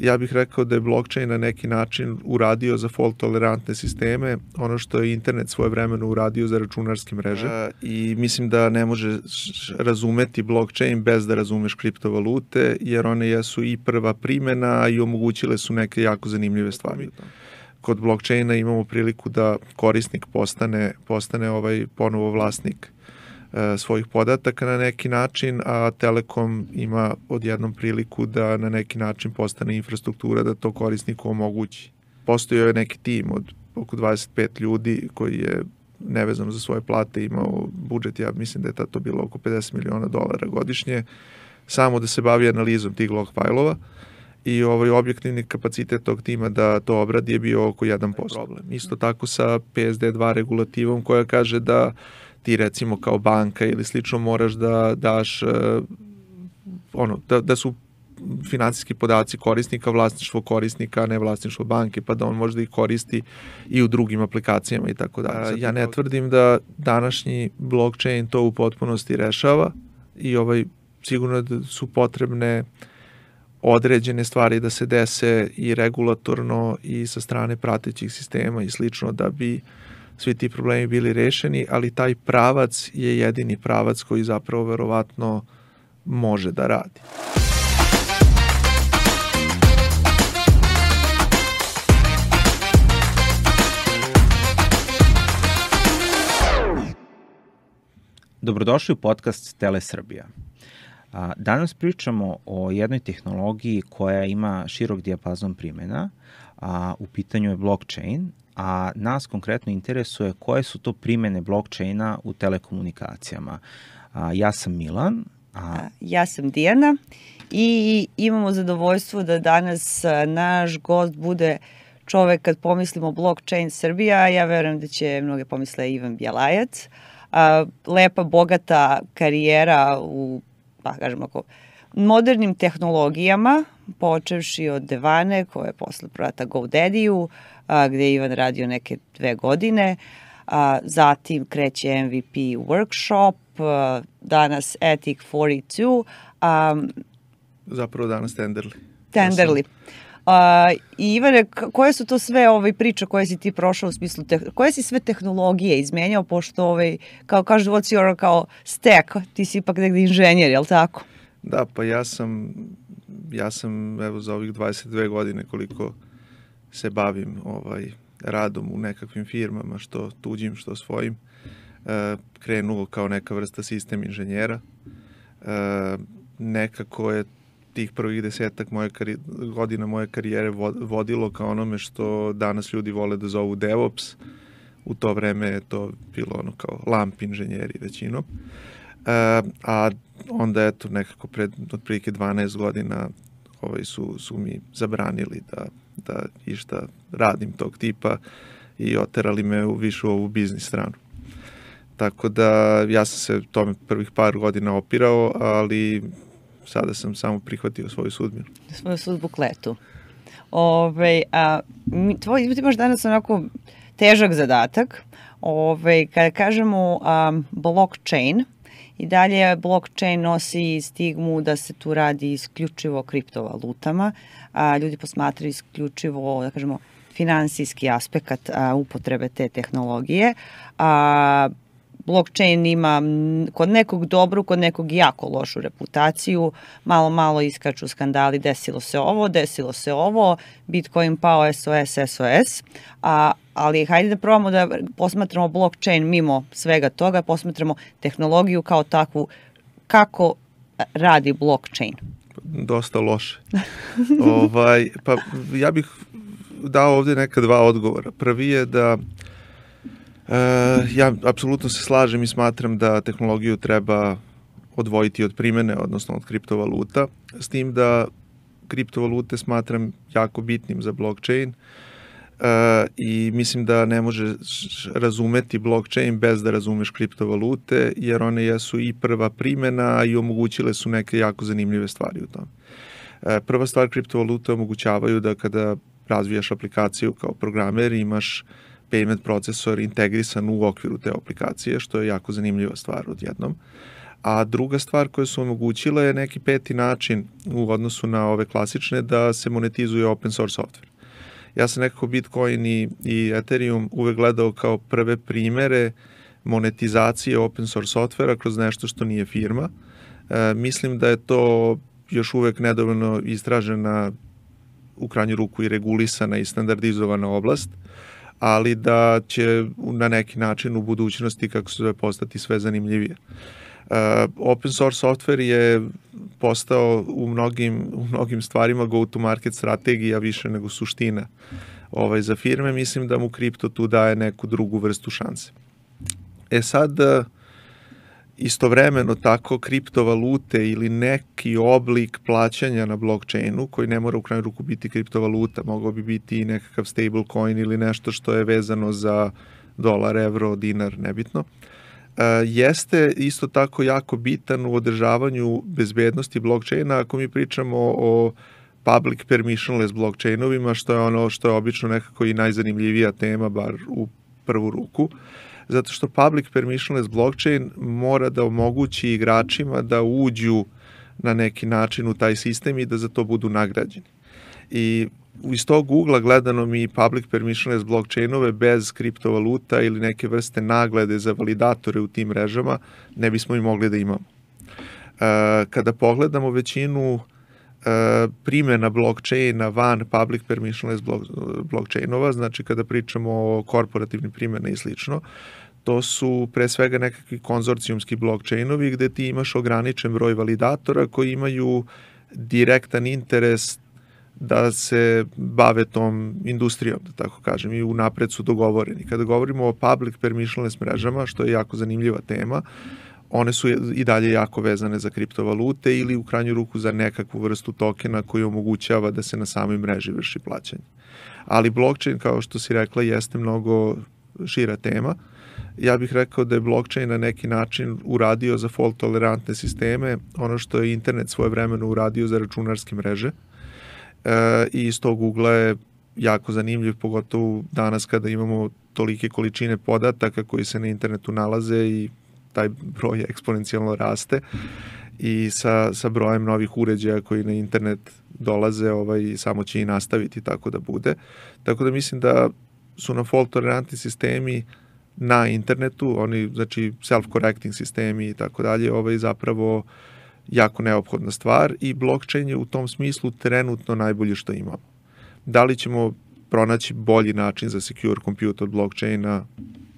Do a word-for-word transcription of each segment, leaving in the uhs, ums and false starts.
Ja bih rekao da je blockchain na neki način uradio za fault tolerantne sisteme ono što je internet svojevremeno uradio za računarske mreže. E, I mislim da ne može razumeti blockchain bez da razumeš kriptovalute, jer one jesu i prva primjena i omogućile su neke jako zanimljive stvari. Kod blockchaina imamo priliku da korisnik postane, postane ovaj ponovo vlasnik svojih podataka na neki način, a Telekom ima odjednom priliku da na neki način postane infrastruktura da to korisniku omogući. Postojao je neki tim od oko dvadeset pet ljudi koji je nevezano za svoje plate imao budžet, ja mislim da je to bilo oko pedeset miliona dolara godišnje, samo da se bavi analizom tih log fajlova i ovaj objektivni kapacitet tog tima da to obradi je bio oko jedan posto. Isto tako sa P S D dva regulativom koja kaže da ti recimo kao banka ili slično moraš da daš uh, ono, da, da su finansijski podaci korisnika, vlasništvo korisnika, a ne vlasništvo banke, pa da on može da ih koristi i u drugim aplikacijama i tako dalje. Ja ne tvrdim da današnji blockchain to u potpunosti rešava i ovaj, sigurno da su potrebne određene stvari da se dese i regulatorno i sa strane pratećih sistema i slično da bi svi ti problemi bili rešeni, ali taj pravac je jedini pravac koji zapravo verovatno može da radi. Dobrodošli u podcast Tele Srbija. Danas pričamo o jednoj tehnologiji koja ima širok dijapazon primjena, a u pitanju je blockchain, a nas konkretno interesuje koje su to primjene blockchaina u telekomunikacijama. A, ja sam Milan. A... Ja sam Dijana i imamo zadovoljstvo da danas naš gost bude čovek kad pomislimo blockchain Srbija. Ja verujem da će mnoge pomisle Ivan Bjelajac. A, lepa, bogata karijera u, pa kažemo ako, modernim tehnologijama, počevši od Devane, koja je posle prodata GoDaddy-u, a, gde je Ivan radio neke dve godine, a, zatim kreće M V P workshop, a, danas Ethic četrdeset dva. A, Zapravo danas Tenderly. Tenderly. A, I Ivane, koje su to sve ovaj, priče koje si ti prošao u smislu, te, koje si sve tehnologije izmenjao, pošto ovaj, kao kažu, what's your kao stack, ti si ipak negde inženjer, je li tako? Da, pa ja sam, ja sam evo za ovih dvadeset dve godine koliko se bavim ovaj, radom u nekakvim firmama, što tuđim, što svojim, e, krenuo kao neka vrsta sistem inženjera. E, nekako je tih prvih desetak moje kari, godina moje karijere vodilo ka onome što danas ljudi vole da zovu DevOps. U to vreme je to bilo ono kao lamp inženjeri većinom. E, a onda eto nekako pred otprilike dvanaest godina ovaj, su, su mi zabranili da, da išta radim tog tipa i oterali me u višu ovu biznis stranu. Tako da ja sam se tome prvih par godina opirao, ali sada sam samo prihvatio svoju sudbinu. Svoju sudbu kletu. Ove, a, tvoj, ti imaš danas onako težak zadatak. Ove, kada kažemo a, blockchain, i dalje blockchain nosi stigmu da se tu radi isključivo o kriptovalutama. A, ljudi posmatraju isključivo, da kažemo, finansijski aspekt a, upotrebe te tehnologije. A, blockchain ima kod nekog dobru, kod nekog jako lošu reputaciju, malo, malo iskaču skandali, desilo se ovo, desilo se ovo, Bitcoin pao, S O S, S O S, a, ali hajde da probamo da posmatramo blockchain mimo svega toga, posmatramo tehnologiju kao takvu, kako radi blockchain. Dosta loše. ovaj, pa ja bih dao ovdje neka dva odgovora. Prvi je da Uh, ja apsolutno se slažem i smatram da tehnologiju treba odvojiti od primjene, odnosno od kriptovaluta, s tim da kriptovalute smatram jako bitnim za blockchain uh, i mislim da ne može razumeti blockchain bez da razumeš kriptovalute, jer one jesu i prva primjena i omogućile su neke jako zanimljive stvari u tom. Uh, prva stvar, kriptovalute omogućavaju da kada razvijaš aplikaciju kao programer imaš payment procesor integrisan u okviru te aplikacije, što je jako zanimljiva stvar odjednom. A druga stvar koja su omogućila je neki peti način u odnosu na ove klasične da se monetizuje open source software. Ja sam nekako Bitcoin i, i Ethereum uvek gledao kao prve primere monetizacije open source softvera kroz nešto što nije firma. E, mislim da je to još uvek nedovoljno istražena, u krajnju ruku i regulisana i standardizovana oblast, ali da će na neki način u budućnosti, kako se zove, postati sve zanimljivije. Uh, open source software je postao u mnogim, u mnogim stvarima go-to-market strategija više nego suština ovaj, za firme. Mislim da mu kripto tu daje neku drugu vrstu šanse. E sad, istovremeno tako kriptovalute ili neki oblik plaćanja na blockchainu, koji ne mora u krajnju ruku biti kriptovaluta, mogao bi biti i nekakav stablecoin ili nešto što je vezano za dolar, evro, dinar, nebitno, jeste isto tako jako bitan u održavanju bezbednosti blockchaina ako mi pričamo o public permissionless blockchainovima, što je ono što je obično nekako i najzanimljivija tema, bar u prvu ruku, zato što public permissionless blockchain mora da omogući igračima da uđu na neki način u taj sistem i da za to budu nagrađeni. I iz tog ugla gledano mi public permissionless blockchainove bez kriptovaluta ili neke vrste nagrade za validatore u tim mrežama ne bismo i mogli da imamo. Kada pogledamo većinu primjena blockchaina van public permissionless blockchainova, znači kada pričamo o korporativnim primjena i slično, to su pre svega nekakvi konzorcijumski blockchainovi gde ti imaš ograničen broj validatora koji imaju direktan interes da se bave tom industrijom, da tako kažem, i unapred su dogovoreni. Kada govorimo o public permissionless mrežama, što je jako zanimljiva tema, one su i dalje jako vezane za kriptovalute ili u krajnju ruku za nekakvu vrstu tokena koji omogućava da se na samoj mreži vrši plaćanje. Ali blockchain, kao što si rekla, jeste mnogo šira tema. Ja bih rekao da je blockchain na neki način uradio za fault tolerantne sisteme ono što je internet svojevremeno uradio za računarske mreže. E, i iz tog ugla je jako zanimljiv, pogotovo danas kada imamo tolike količine podataka koji se na internetu nalaze i taj broj eksponencijalno raste i sa, sa brojem novih uređaja koji na internet dolaze ovaj, samo će i nastaviti tako da bude. Tako da mislim da su na fault tolerantni sistemi na internetu, oni znači self-correcting sistemi i tako dalje, ovaj zapravo jako neophodna stvar i blockchain je u tom smislu trenutno najbolje što imamo. Da li ćemo pronaći bolji način za secure compute od blockchaina?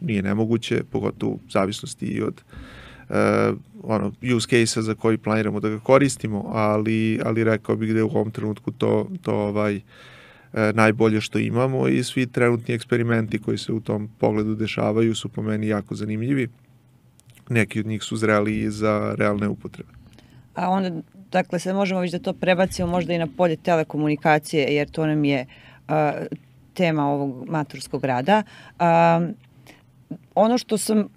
Nije nemoguće, pogotovo u zavisnosti i od uh, ono, use case-a za koji planiramo da ga koristimo, ali, ali rekao bih da je u ovom trenutku to, to ovaj, uh, najbolje što imamo i svi trenutni eksperimenti koji se u tom pogledu dešavaju su po meni jako zanimljivi. Neki od njih su zreli i za realne upotrebe. A onda, dakle, sad možemo već da to prebacimo možda i na polje telekomunikacije, jer to nam je uh, tema ovog maturskog rada. Uh, ono što sam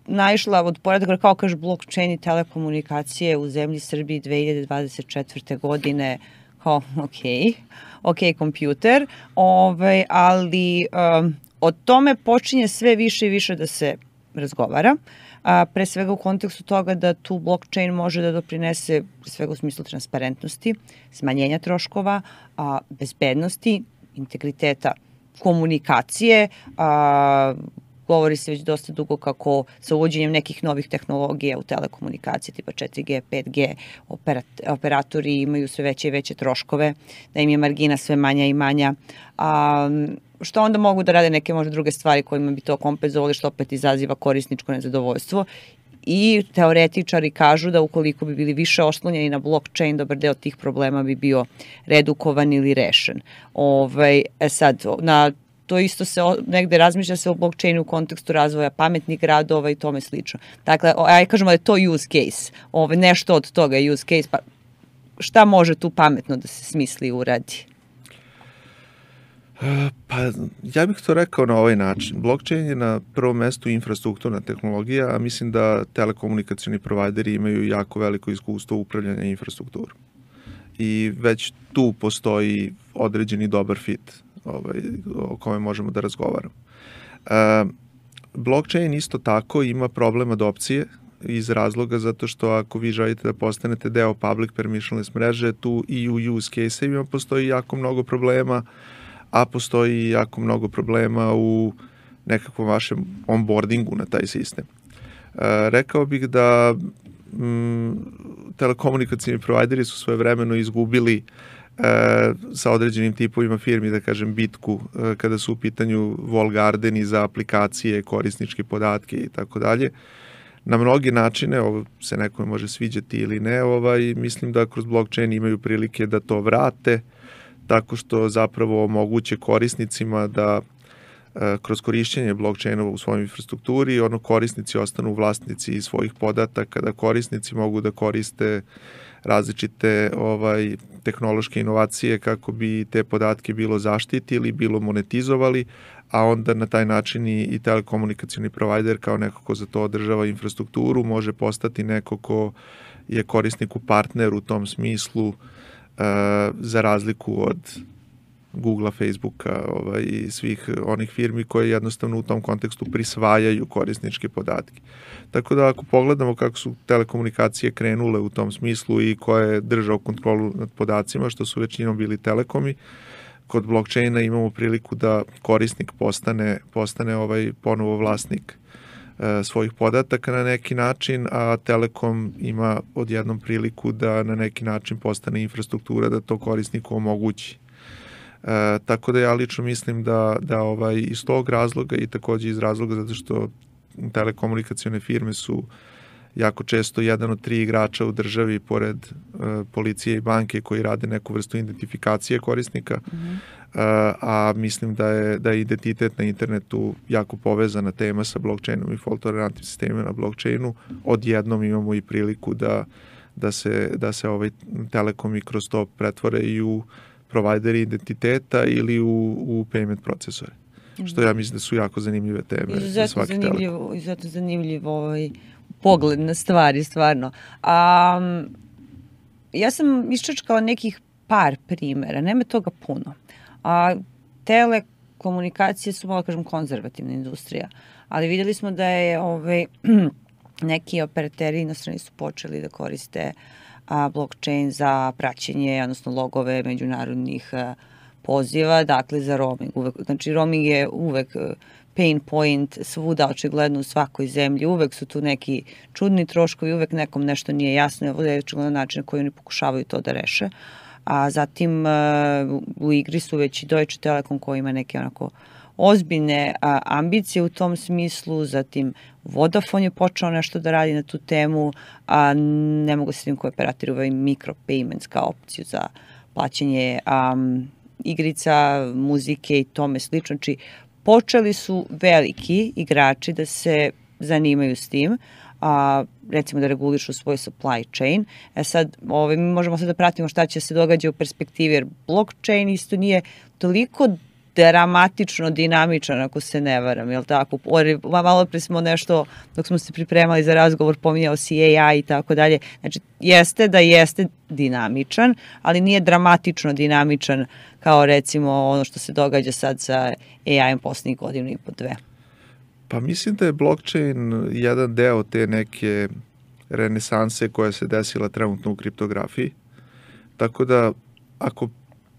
naišla od poredaka, kao kaže blockchain i telekomunikacije u zemlji Srbiji dve hiljade dvadeset četvrte. godine, kao ok, ok kompjuter, ovaj, ali um, o tome počinje sve više i više da se razgovara. A, pre svega u kontekstu toga da tu blockchain može da doprinese pre svega u smislu transparentnosti, smanjenja troškova, a, bezbednosti, integriteta komunikacije. A, govori se već dosta dugo kako sa uvođenjem nekih novih tehnologija u telekomunikacije tipa četiri G, pet G, operat, operatori imaju sve veće i veće troškove, da im je margina sve manja i manja. A, što onda mogu da rade neke možda druge stvari kojima bi to kompenzovali, što opet izaziva korisničko nezadovoljstvo. I teoretičari kažu da ukoliko bi bili više oslonjeni na blockchain, dobar deo tih problema bi bio redukovan ili rešen. Ovaj, e sad, na to isto se negde razmišlja se o blockchainu u kontekstu razvoja pametnih gradova i tome slično. Dakle, aj kažemo da je to use case, ovaj, nešto od toga je use case, pa šta može tu pametno da se smisli i uradi? Pa, ja bih to rekao na ovaj način. Blockchain je na prvom mestu infrastrukturna tehnologija, a mislim da telekomunikacioni provajderi imaju jako veliko iskustvo upravljanja infrastrukturom. I već tu postoji određeni dobar fit ovaj, o kome možemo da razgovaramo. E, blockchain isto tako ima problem adopcije, iz razloga zato što ako vi želite da postanete deo public permissionless mreže, tu i u use case-evima postoji jako mnogo problema, a postoji jako mnogo problema u nekakvom vašem onboardingu na taj sistem. E, rekao bih da m, telekomunikacijni provajderi su svoje vremeno izgubili e, sa određenim tipovima firmi, da kažem, bitku e, kada su u pitanju wall gardeni za aplikacije, korisničke podatke i tako dalje. Na mnogi načine, ovo se nekome može sviđati ili ne, ovaj, mislim da kroz blockchain imaju prilike da to vrate, tako što zapravo omoguće korisnicima da e, kroz korišćenje blockchainova u svojoj infrastrukturi, ono korisnici ostanu vlasnici svojih podataka, da korisnici mogu da koriste različite ovaj tehnološke inovacije kako bi te podatke bilo zaštitili, bilo monetizovali, a onda na taj način i, i telekomunikacioni provider kao neko ko za to održava infrastrukturu može postati neko ko je korisniku partner u tom smislu, uh, za razliku od Googlea, Facebooka ovaj, i svih onih firmi koje jednostavno u tom kontekstu prisvajaju korisničke podatke. Tako da ako pogledamo kako su telekomunikacije krenule u tom smislu i ko je držao kontrolu nad podacima, što su većinom bili telekomi, kod blockchaina imamo priliku da korisnik postane, postane ovaj ponovo vlasnik e, svojih podataka na neki način, a Telekom ima odjednom priliku da na neki način postane infrastruktura da to korisniku omogući. E, tako da ja lično mislim da, da ovaj, iz tog razloga i takođe iz razloga zato što telekomunikacione firme su jako često jedan od tri igrača u državi pored uh, policije i banke koji rade neku vrstu identifikacije korisnika, mm-hmm. uh, a mislim da je, da je identitet na internetu jako povezana tema sa blockchainom i fault-tolerantnim sistemima na blockchainu. Odjednom imamo i priliku da, da se, da se ovaj telekomi kroz to pretvore i u provajderi identiteta ili u, u payment procesore. Mm-hmm. Što ja mislim da su jako zanimljive teme za svaki telekom. Izuzetno zanimljivo ovaj pogled na stvari, stvarno. A, ja sam iščačkala nekih par primera, nema toga puno. A, telekomunikacije su, malo kažem, konzervativna industrija, ali videli smo da je ovaj, neki operateri inostrani su počeli da koriste a, blockchain za praćenje, odnosno logove međunarodnih a, poziva, dakle za roaming. Uvek, znači roaming je uvek pain point svuda, očigledno u svakoj zemlji, uvek su tu neki čudni troškovi, uvek nekom nešto nije jasno, je očigledno način na koji oni pokušavaju to da reše. A zatim u igri su već i Deutsche Telekom koji ima neke onako ozbiljne a, ambicije u tom smislu, zatim Vodafone je počeo nešto da radi na tu temu, a ne mogu se tim koji operatori uvaju micropayments kao opciju za plaćanje um, igrica, muzike i tome slično. Znači, počeli su veliki igrači da se zanimaju s tim, a, recimo da regulišu svoj supply chain. E sad, ovaj, mi možemo sad da pratimo šta će se događa u perspektivi, jer blockchain isto nije toliko dramatično dinamičan, ako se ne varam, jel tako? Malo pre smo nešto, dok smo se pripremali za razgovor, pominjao si A I i tako dalje. Znači, jeste da jeste dinamičan, ali nije dramatično dinamičan kao recimo ono što se događa sad sa A I-em poslednjih godinu i po dve. Pa mislim da je blockchain jedan deo te neke renesanse koja se desila trenutno u kriptografiji. Tako da, ako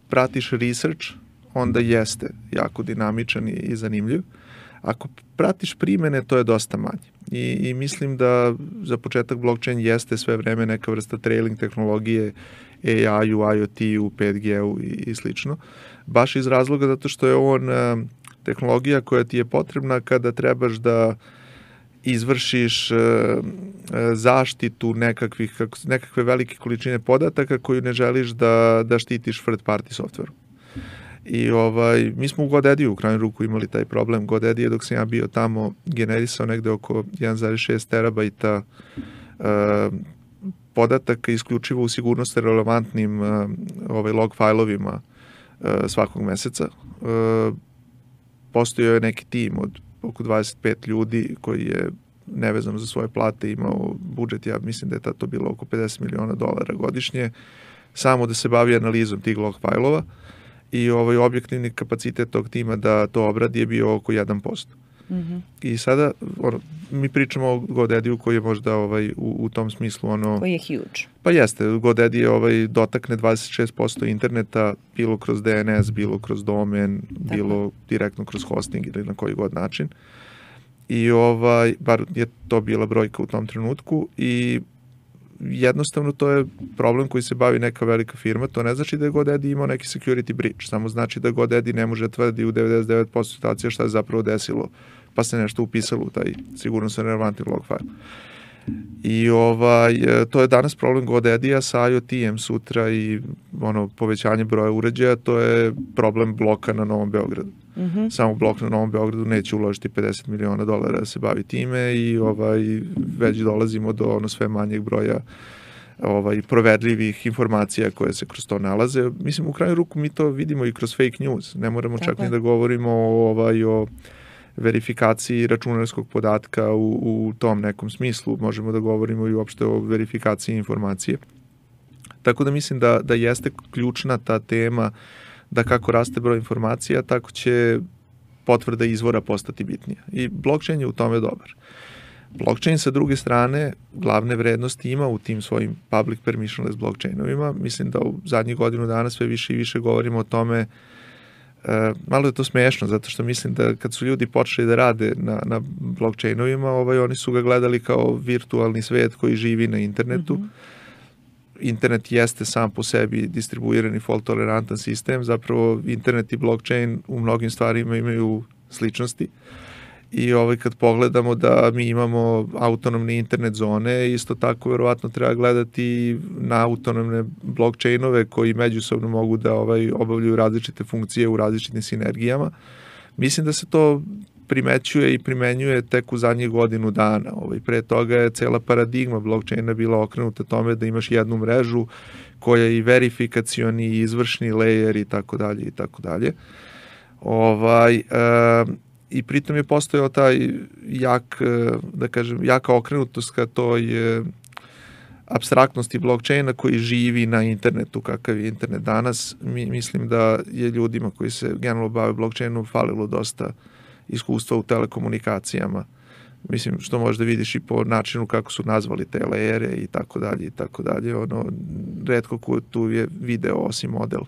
pratiš research, onda jeste jako dinamičan i zanimljiv. Ako pratiš primene, to je dosta manje. I, i mislim da za početak blockchain jeste sve vreme neka vrsta trailing tehnologije A I-u, IoT-u, pet G-u i, i slično. Baš iz razloga zato što je on uh, tehnologija koja ti je potrebna kada trebaš da izvršiš uh, zaštitu nekakvih, nekakve velike količine podataka koju ne želiš da, da štitiš third party software. I ovaj, mi smo u GoDaddy u krajnju ruku imali taj problem. GoDaddy je dok sam ja bio tamo generisao negde oko jedan zarez šest terabajta uh, podataka isključivo u sigurnosti relevantnim uh, ovaj, log failovima uh, svakog meseca. Uh, postojao je neki tim od oko dvadeset pet ljudi koji je nevezano za svoje plate imao budžet, ja mislim da je tato bilo oko pedeset miliona dolara godišnje, samo da se bavi analizom tih log failova. I ovaj objektivni kapacitet tog tima da to obradi je bio oko jedan posto. Mm-hmm. I sada ono, mi pričamo o GoDaddy-u koji je možda ovaj, u, u tom smislu ono... Koji je huge. Pa jeste, GoDaddy je ovaj, dotakne dvadeset šest posto interneta, bilo kroz D N S, bilo kroz domen, tako, bilo direktno kroz hosting ili na koji god način. I ovaj, bar je to bila brojka u tom trenutku i jednostavno to je problem koji se bavi neka velika firma, to ne znači da je GoDaddy imao neki security breach, samo znači da GoDaddy ne može tvrdi u devedeset devet posto situacija šta je zapravo desilo, pa se nešto upisalo u taj sigurnosno relevantni log file. I ovaj, to je danas problem GoDaddy-a sa IoT-em sutra i ono, povećanje broja uređaja, to je problem bloka na Novom Beogradu. Mm-hmm. Samo blok na Novom Beogradu neće uložiti pedeset miliona dolara da se bavi time i ovaj, već dolazimo do ono sve manjeg broja ovaj, proverljivih informacija koje se kroz to nalaze. Mislim, u kraju ruku mi to vidimo i kroz fake news. Ne moramo tako čak ni da govorimo o, ovaj, o verifikaciji računarskog podatka u, u tom nekom smislu. Možemo da govorimo i uopšte o verifikaciji informacije. Tako da mislim da, da jeste ključna ta tema da kako raste broj informacija, tako će potvrda izvora postati bitnija. I blockchain je u tome dobar. Blockchain sa druge strane glavne vrednosti ima u tim svojim public permissionless blockchainovima. Mislim da u zadnjih godinu dana sve više i više govorimo o tome. E, malo je to smešno, zato što mislim da kad su ljudi počeli da rade na, na blockchainovima, ovaj, oni su ga gledali kao virtualni svet koji živi na internetu. Mm-hmm. Internet jeste sam po sebi distribuirani fault tolerantan sistem, zapravo internet i blockchain u mnogim stvarima imaju sličnosti i ovaj, kad pogledamo da mi imamo autonomne internet zone, isto tako verovatno treba gledati na autonomne blockchainove koji međusobno mogu da ovaj, obavljaju različite funkcije u različitim sinergijama. Mislim da se to primećuje i primenjuje tek u zadnjih godinu dana. Ovaj, pre toga je cela paradigma blockchaina bila okrenuta tome da imaš jednu mrežu koja je i verifikacioni i izvršni layer i tako dalje i tako dalje. Ovaj, e, i pritom je postojao taj jak, da kažem, jaka okrenutost ka toj apstraktnosti blockchaina koji živi na internetu, kakav je internet danas. Mi, mislim da je ljudima koji se generalno bave blockchainom falilo dosta iskustva u telekomunikacijama. Mislim, što možda vidiš i po načinu kako su nazvali te lejere i tako dalje i tako dalje. Ono, retko ko tu je video osim model,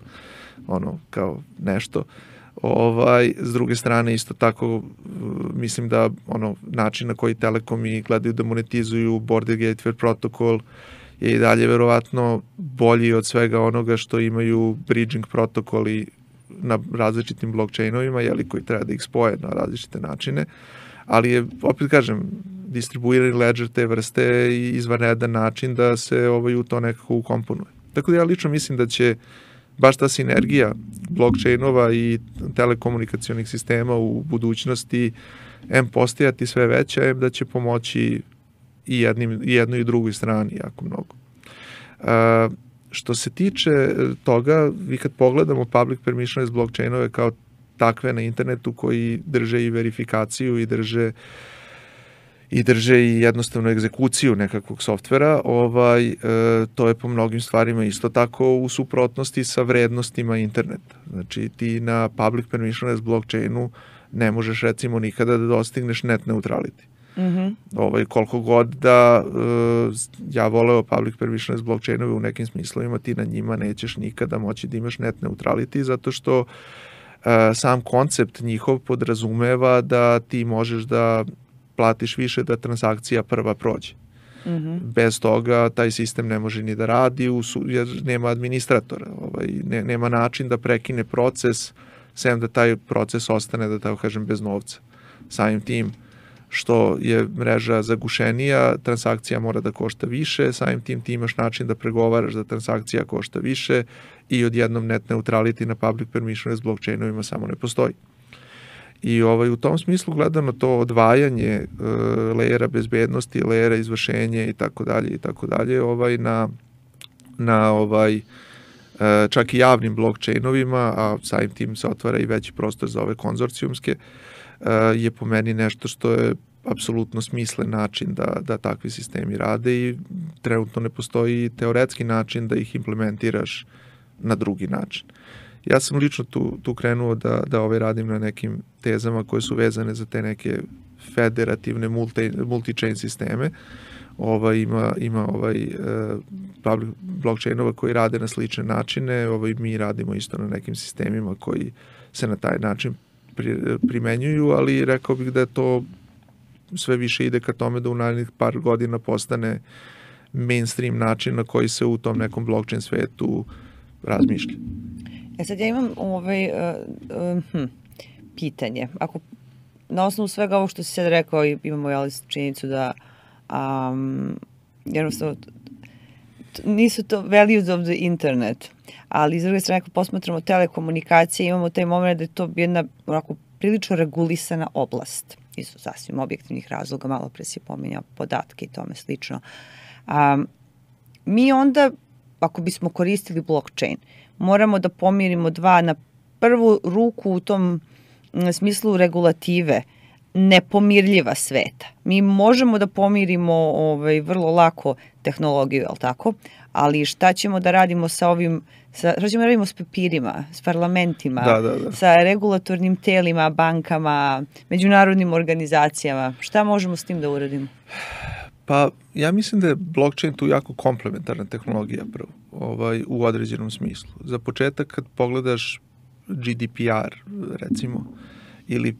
ono, kao nešto. Ovaj, s druge strane, isto tako, mislim da ono, način na koji telekomi gledaju da monetizuju Border Gateway protokol je i dalje verovatno bolji od svega onoga što imaju bridging protokoli na različitim blockchainovima, jeli, koji treba da ih spoje na različite načine, ali je, opet kažem, distribuirani ledger te vrste i izvanredan način da se ovaj, u to nekako ukomponuje. Tako da ja lično mislim da će baš ta sinergija blockchainova i telekomunikacionih sistema u budućnosti em postajati sve veća, em da će pomoći i, jednim, i jednoj i drugoj strani jako mnogo. Uh, Što se tiče toga, vi kad pogledamo public permissionless blockchainove kao takve na internetu koji drže i verifikaciju i drže i drže i jednostavno egzekuciju nekakvog softvera, ovaj, e, to je po mnogim stvarima isto tako u suprotnosti sa vrednostima interneta. Znači ti na public permissionless blockchainu ne možeš recimo nikada da dostigneš net neutrality. Mm-hmm. Ovaj, koliko god da uh, ja voleo public permissionless blockchainove u nekim smislovima, ti na njima nećeš nikada moći da imaš net neutrality, zato što uh, sam koncept njihov podrazumeva da ti možeš da platiš više da transakcija prva prođe. Mm-hmm. Bez toga taj sistem ne može ni da radi jer nema administratora, ovaj, ne, nema način da prekine proces sem da taj proces ostane, da tako kažem, bez novca. Samim tim što je mreža zagušenija, transakcija mora da košta više, samim tim ti imaš način da pregovaraš da transakcija košta više i odjednom net neutrality na public permissionless blockchainovima samo ne postoji. I ovaj, u tom smislu gledano to odvajanje uh, lejera bezbednosti, lejera izvršenja i tako dalje i tako dalje, ovaj na na ovaj uh, čak i javnim blockchainovima, a samim tim se otvara i veći prostor za ove konzorcijumske, uh, je po meni nešto što je apsolutno smislen način da, da takvi sistemi rade i trenutno ne postoji teoretski način da ih implementiraš na drugi način. Ja sam lično tu, tu krenuo da, da ovaj radim na nekim tezama koje su vezane za te neke federativne multi, multi-chain sisteme. Ovaj, ima, ima ovaj, uh, public blockchainova koji rade na slične načine, ovaj, mi radimo isto na nekim sistemima koji se na taj način pri, primenjuju, ali rekao bih da je to sve više ide ka tome da u narednih par godina postane mainstream način na koji se u tom nekom blockchain svetu razmišlja. E sad ja imam ovaj, uh, uh, hm, pitanje. Ako na osnovu svega ovo što si sad rekao, imamo jeli činjenicu da um, jednostavno nisu to values of the internet, ali iz druge strane ako posmatramo telekomunikacije, imamo taj moment da je to jedna onako prilično regulisana oblast. Isto sasvim objektivnih razloga, malo pre si pominjao podatke i tome slično. Um, mi onda, ako bismo koristili blockchain, moramo da pomirimo dva na prvu ruku u tom smislu regulative, nepomirljiva sveta. Mi možemo da pomirimo ovaj, vrlo lako tehnologiju, je li tako? Ali šta ćemo da radimo sa ovim, sa, šta ćemo da radimo s papirima, s parlamentima, da, da, da. sa regulatornim telima, bankama, međunarodnim organizacijama? Šta možemo s tim da uradimo? Pa ja mislim da je blockchain tu jako komplementarna tehnologija prvo, ovaj, u određenom smislu. Za početak kad pogledaš G D P R recimo ili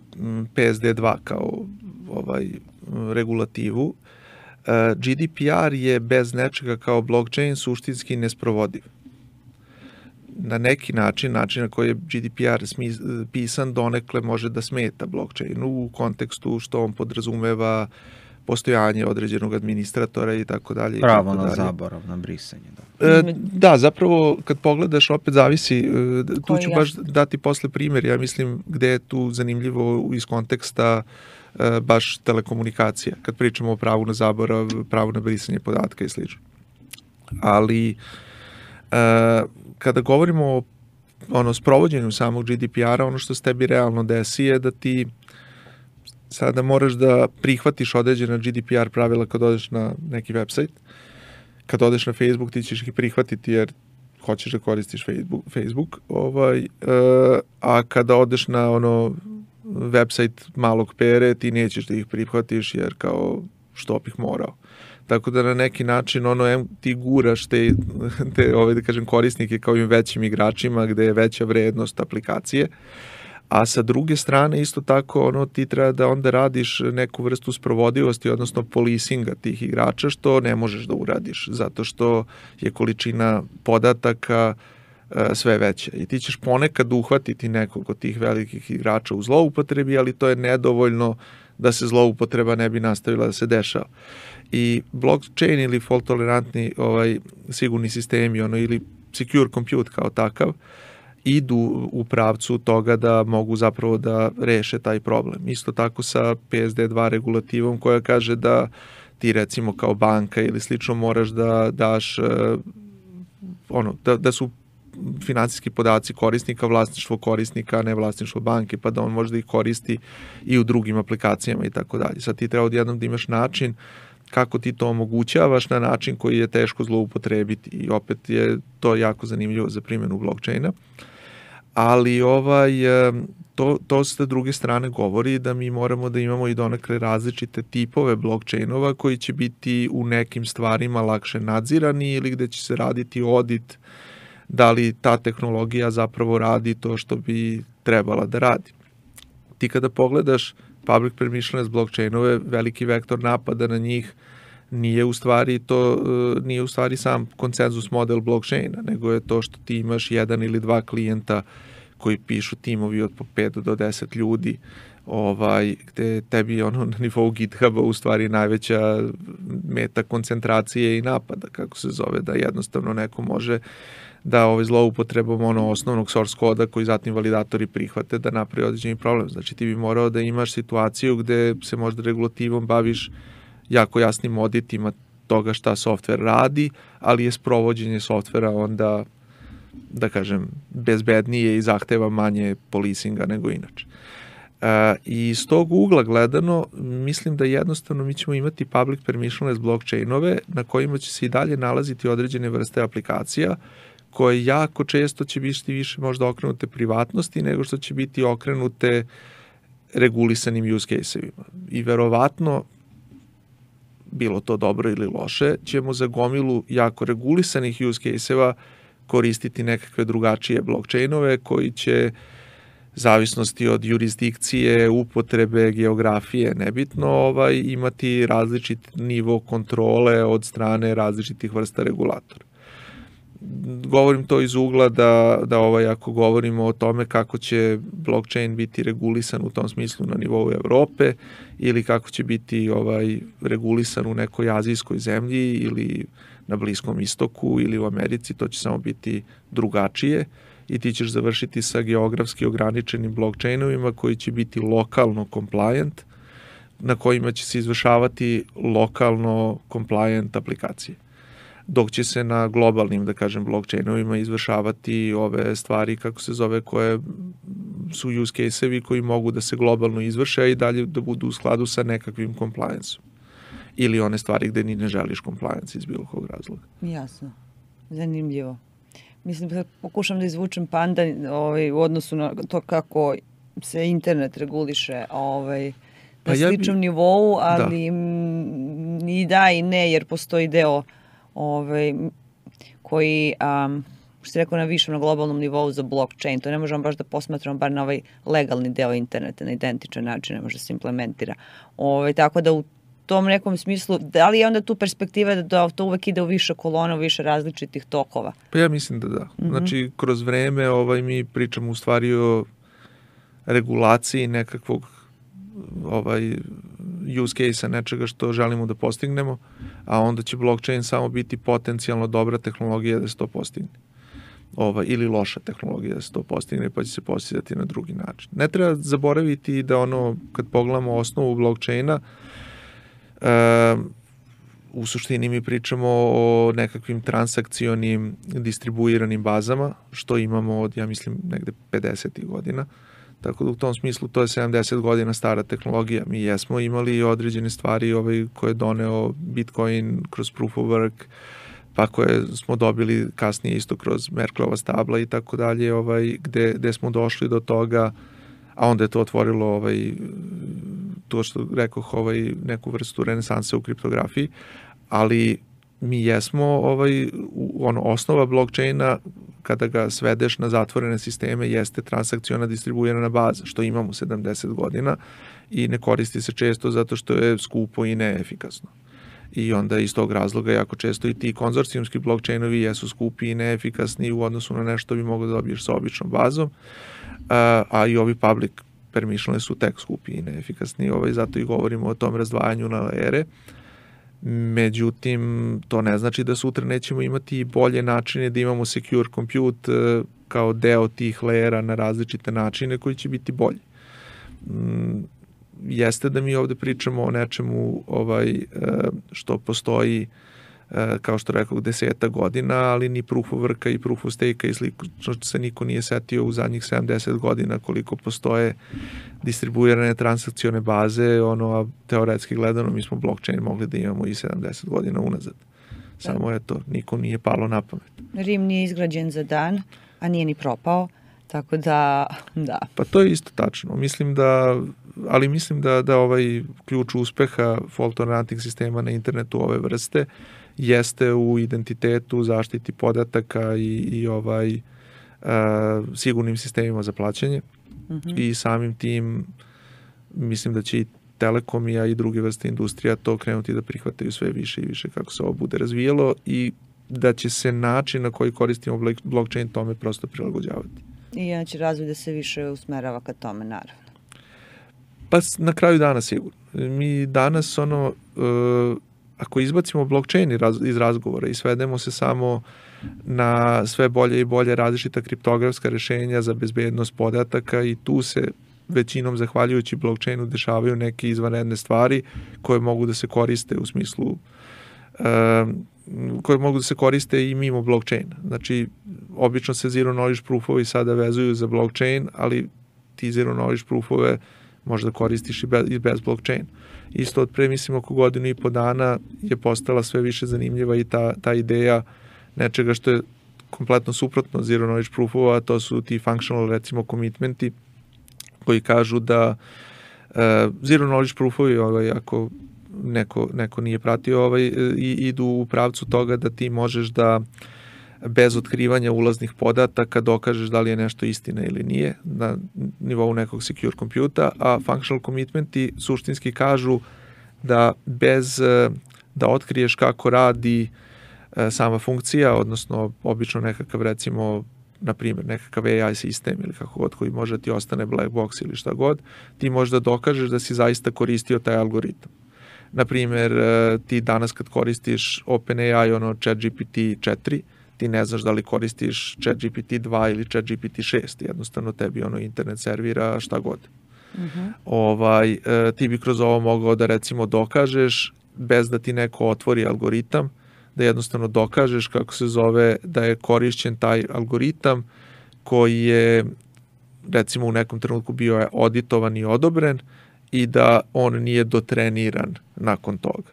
P S D dva kao ovaj regulativu, G D P R je bez nečega kao blockchain suštinski nesprovodiv. Na neki način, način na koji je G D P R pisan donekle može da smeta blockchainu u kontekstu što on podrazumeva postojanje određenog administratora i tako dalje. Pravo na zaborav, na brisanje. Da. E, da, zapravo kad pogledaš opet zavisi, tu ću baš dati posle primjer, ja mislim gde je tu zanimljivo iz konteksta e, baš telekomunikacija, kad pričamo o pravu na zaborav, pravu na brisanje podatka i slično. Ali e, kada govorimo o ono, sprovođenju samog G D P R-a, ono što se tebi realno desi je da ti sada moraš da prihvatiš određena G D P R pravila kad odeš na neki website. Kad odeš na Facebook, ti ćeš ih prihvatiti jer hoćeš da koristiš Facebook, Facebook ovaj, uh, a kada odeš na ono website malog pere, ti nećeš da ih prihvatiš jer kao što bih morao. Tako da na neki način ono ti guraš te, te ove, da kažem, korisnike kao i većim igračima gde je veća vrednost aplikacije. A sa druge strane isto tako ono ti treba da onda radiš neku vrstu sprovodivosti, odnosno policinga tih igrača, što ne možeš da uradiš zato što je količina podataka e, sve veća. I ti ćeš ponekad uhvatiti nekog od tih velikih igrača u zloupotrebi, ali to je nedovoljno da se zloupotreba ne bi nastavila da se dešava. I blockchain ili fault tolerantni ovaj, sigurni sistemi ono, ili secure compute kao takav idu u pravcu toga da mogu zapravo da reše taj problem. Isto tako sa P S D dva regulativom koja kaže da ti recimo kao banka ili slično moraš da daš ono, da, da su finansijski podaci korisnika, vlasništvo korisnika, a ne vlasništvo banke, pa da on može da ih koristi i u drugim aplikacijama i tako dalje. Sad ti treba odjednom da imaš način kako ti to omogućavaš na način koji je teško zloupotrebiti i opet je to jako zanimljivo za primjenu blockchaina. Ali ovaj, to, to sa druge strane govori da mi moramo da imamo i donekle različite tipove blockchainova koji će biti u nekim stvarima lakše nadzirani ili gde će se raditi audit da li ta tehnologija zapravo radi to što bi trebala da radi. Ti kada pogledaš public permissionless blockchainove, veliki vektor napada na njih nije u stvari to nije u stvari sam konsenzus model blockchaina, nego je to što ti imaš jedan ili dva klijenta koji pišu timovi od po pet do deset ljudi, ovaj gde tebi ono na nivou GitHuba u stvari najveća meta koncentracije i napada, kako se zove, da jednostavno neko može da ovaj zloupotrebom ono osnovnog source koda koji zatim validatori prihvate da napravi određeni problem. Znači ti bi morao da imaš situaciju gde se možda regulativom baviš jako jasnim auditima toga šta softver radi, ali je sprovođenje softvera onda, da kažem, bezbednije i zahteva manje policinga nego inače. E, I iz tog ugla gledano, mislim da jednostavno mi ćemo imati public permissionless blockchainove na kojima će se i dalje nalaziti određene vrste aplikacija koje jako često će biti više možda okrenute privatnosti nego što će biti okrenute regulisanim use case-evima. I verovatno, bilo to dobro ili loše, ćemo za gomilu jako regulisanih use case-eva koristiti nekakve drugačije blockchainove koji će zavisnosti od jurisdikcije, upotrebe, geografije, nebitno, ovaj, imati različit nivo kontrole od strane različitih vrsta regulatora. Govorim to iz ugla da, da ovaj, ako govorimo o tome kako će blockchain biti regulisan u tom smislu na nivou Evrope ili kako će biti ovaj, regulisan u nekoj azijskoj zemlji ili na Bliskom istoku ili u Americi, to će samo biti drugačije i ti ćeš završiti sa geografski ograničenim blockchainovima koji će biti lokalno compliant, na kojima će se izvršavati lokalno compliant aplikacije. Dok će se na globalnim, da kažem, blockchainovima izvršavati ove stvari, kako se zove, koje su use case-evi koji mogu da se globalno izvrše, a i dalje da budu u skladu sa nekakvim compliance-om. Ili one stvari gde ni ne želiš compliance iz bilo kog razloga. Jasno. Zanimljivo. Mislim da pokušam da izvučem panda ovaj, u odnosu na to kako se internet reguliše ovaj, na pa ja sličnom bi... nivou, ali da. i da i ne, jer postoji deo ovaj, koji, um, što se rekao, na višem, na globalnom nivou za blockchain. To ne možemo baš da posmatramo bar na ovaj legalni deo interneta, na identičan način ne može da se implementira. Ovaj, tako da u tom nekom smislu, da li je onda tu perspektiva da to uvek ide u više kolona, u više različitih tokova? Pa ja mislim da da. Mm-hmm. Znači, kroz vreme ovaj, mi pričamo u stvari o regulaciji nekakvog ovaj, use case-a, nečega što želimo da postignemo, a onda će blockchain samo biti potencijalno dobra tehnologija da se to postigne. Ova, ili loša tehnologija da se to postigne, pa će se postizati na drugi način. Ne treba zaboraviti da ono, kad pogledamo osnovu blockchaina, Uh, u suštini mi pričamo o nekakvim transakcionim distribuiranim bazama, što imamo od, ja mislim, negde pedesetih godina. Tako da u tom smislu to je sedamdeset godina stara tehnologija. Mi jesmo imali određene stvari ovaj, koje je doneo Bitcoin kroz Proof of Work, pa koje smo dobili kasnije isto kroz Merkelova stabla i tako dalje, ovaj, gde, gde smo došli do toga, a onda je to otvorilo ovaj, to što rekoh, ovaj, neku vrstu renesanse u kriptografiji, ali mi jesmo ovaj, ono, osnova blockchaina, kada ga svedeš na zatvorene sisteme, jeste transakciona distribuirana baza, što imamo sedamdeset godina i ne koristi se često zato što je skupo i neefikasno. I onda iz tog razloga jako često i ti konzorcijumski blockchainovi jesu skupi i neefikasni u odnosu na nešto bi moglo da dobiješ sa običnom bazom, a, a i ovi public permissionless su tek skupi i neefikasni, ovaj, zato i govorimo o tom razdvajanju na layere. Međutim, to ne znači da sutra nećemo imati bolje načine da imamo secure compute kao deo tih layera na različite načine koji će biti bolji. Jeste da mi ovde pričamo o nečemu ovaj, što postoji, kao što rekao, deseta godina, ali ni Proof of Worka i Proof of Stake-a i slično se niko nije setio u zadnjih sedamdeset godina koliko postoje distribuirane transakcione baze, ono, a teoretski gledano mi smo blockchain mogli da imamo i sedamdeset godina unazad. Samo da. Eto, niko nije palo na pamet. Rim nije izgrađen za dan, a nije ni propao, tako da, da. Pa to je isto tačno. Mislim da, ali mislim da, da ovaj ključ uspeha fault-tolerantnih sistema na internetu ove vrste jeste u identitetu, zaštiti podataka i, i ovaj a, sigurnim sistemima za plaćanje. Mm-hmm. I samim tim mislim da će i telekomija i druge vrste industrija to krenuti da prihvataju sve više i više kako se ovo bude razvijalo i da će se način na koji koristimo blockchain tome prosto prilagođavati. I onda će razvoj da se više usmerava ka tome, naravno. Pa na kraju dana sigurno. Mi danas ono, uh, ako izbacimo blockchain iz razgovora i svedemo se samo na sve bolje i bolje različita kriptografska rešenja za bezbednost podataka i tu se većinom zahvaljujući blockchainu dešavaju neke izvanredne stvari koje mogu da se koriste u smislu uh, koje mogu da se koriste i mimo blockchaina. Znači, obično se zero knowledge proofovi sada vezuju za blockchain, ali ti zero knowledge proofove možda koristiš i bez, i bez blockchain. Isto od pre, mislim, oko godinu i po dana je postala sve više zanimljiva i ta, ta ideja nečega što je kompletno suprotno zero knowledge proofova, a to su ti functional, recimo, commitmenti koji kažu da zero knowledge proofovi, ovaj, ako neko, neko nije pratio, ovaj, i, idu u pravcu toga da ti možeš da bez otkrivanja ulaznih podataka dokažeš da li je nešto istina ili nije na nivou nekog secure kompjuta, a functional commitmenti suštinski kažu da bez da otkriješ kako radi sama funkcija, odnosno obično nekakav, recimo, na primjer, nekakav A I sistem ili kako god koji može ti ostane black box ili šta god, ti možeš da dokažeš da si zaista koristio taj algoritam. Na primjer, ti danas kad koristiš OpenAI, ono ChatGPT četiri, ti ne znaš da li koristiš ChatGPT dva ili ChatGPT šest, jednostavno tebi ono internet servira šta god. Uh-huh. Ovaj, ti bi kroz ovo mogao da recimo dokažeš, bez da ti neko otvori algoritam, da jednostavno dokažeš kako se zove da je korišćen taj algoritam koji je recimo u nekom trenutku bio auditovan i odobren i da on nije dotreniran nakon toga.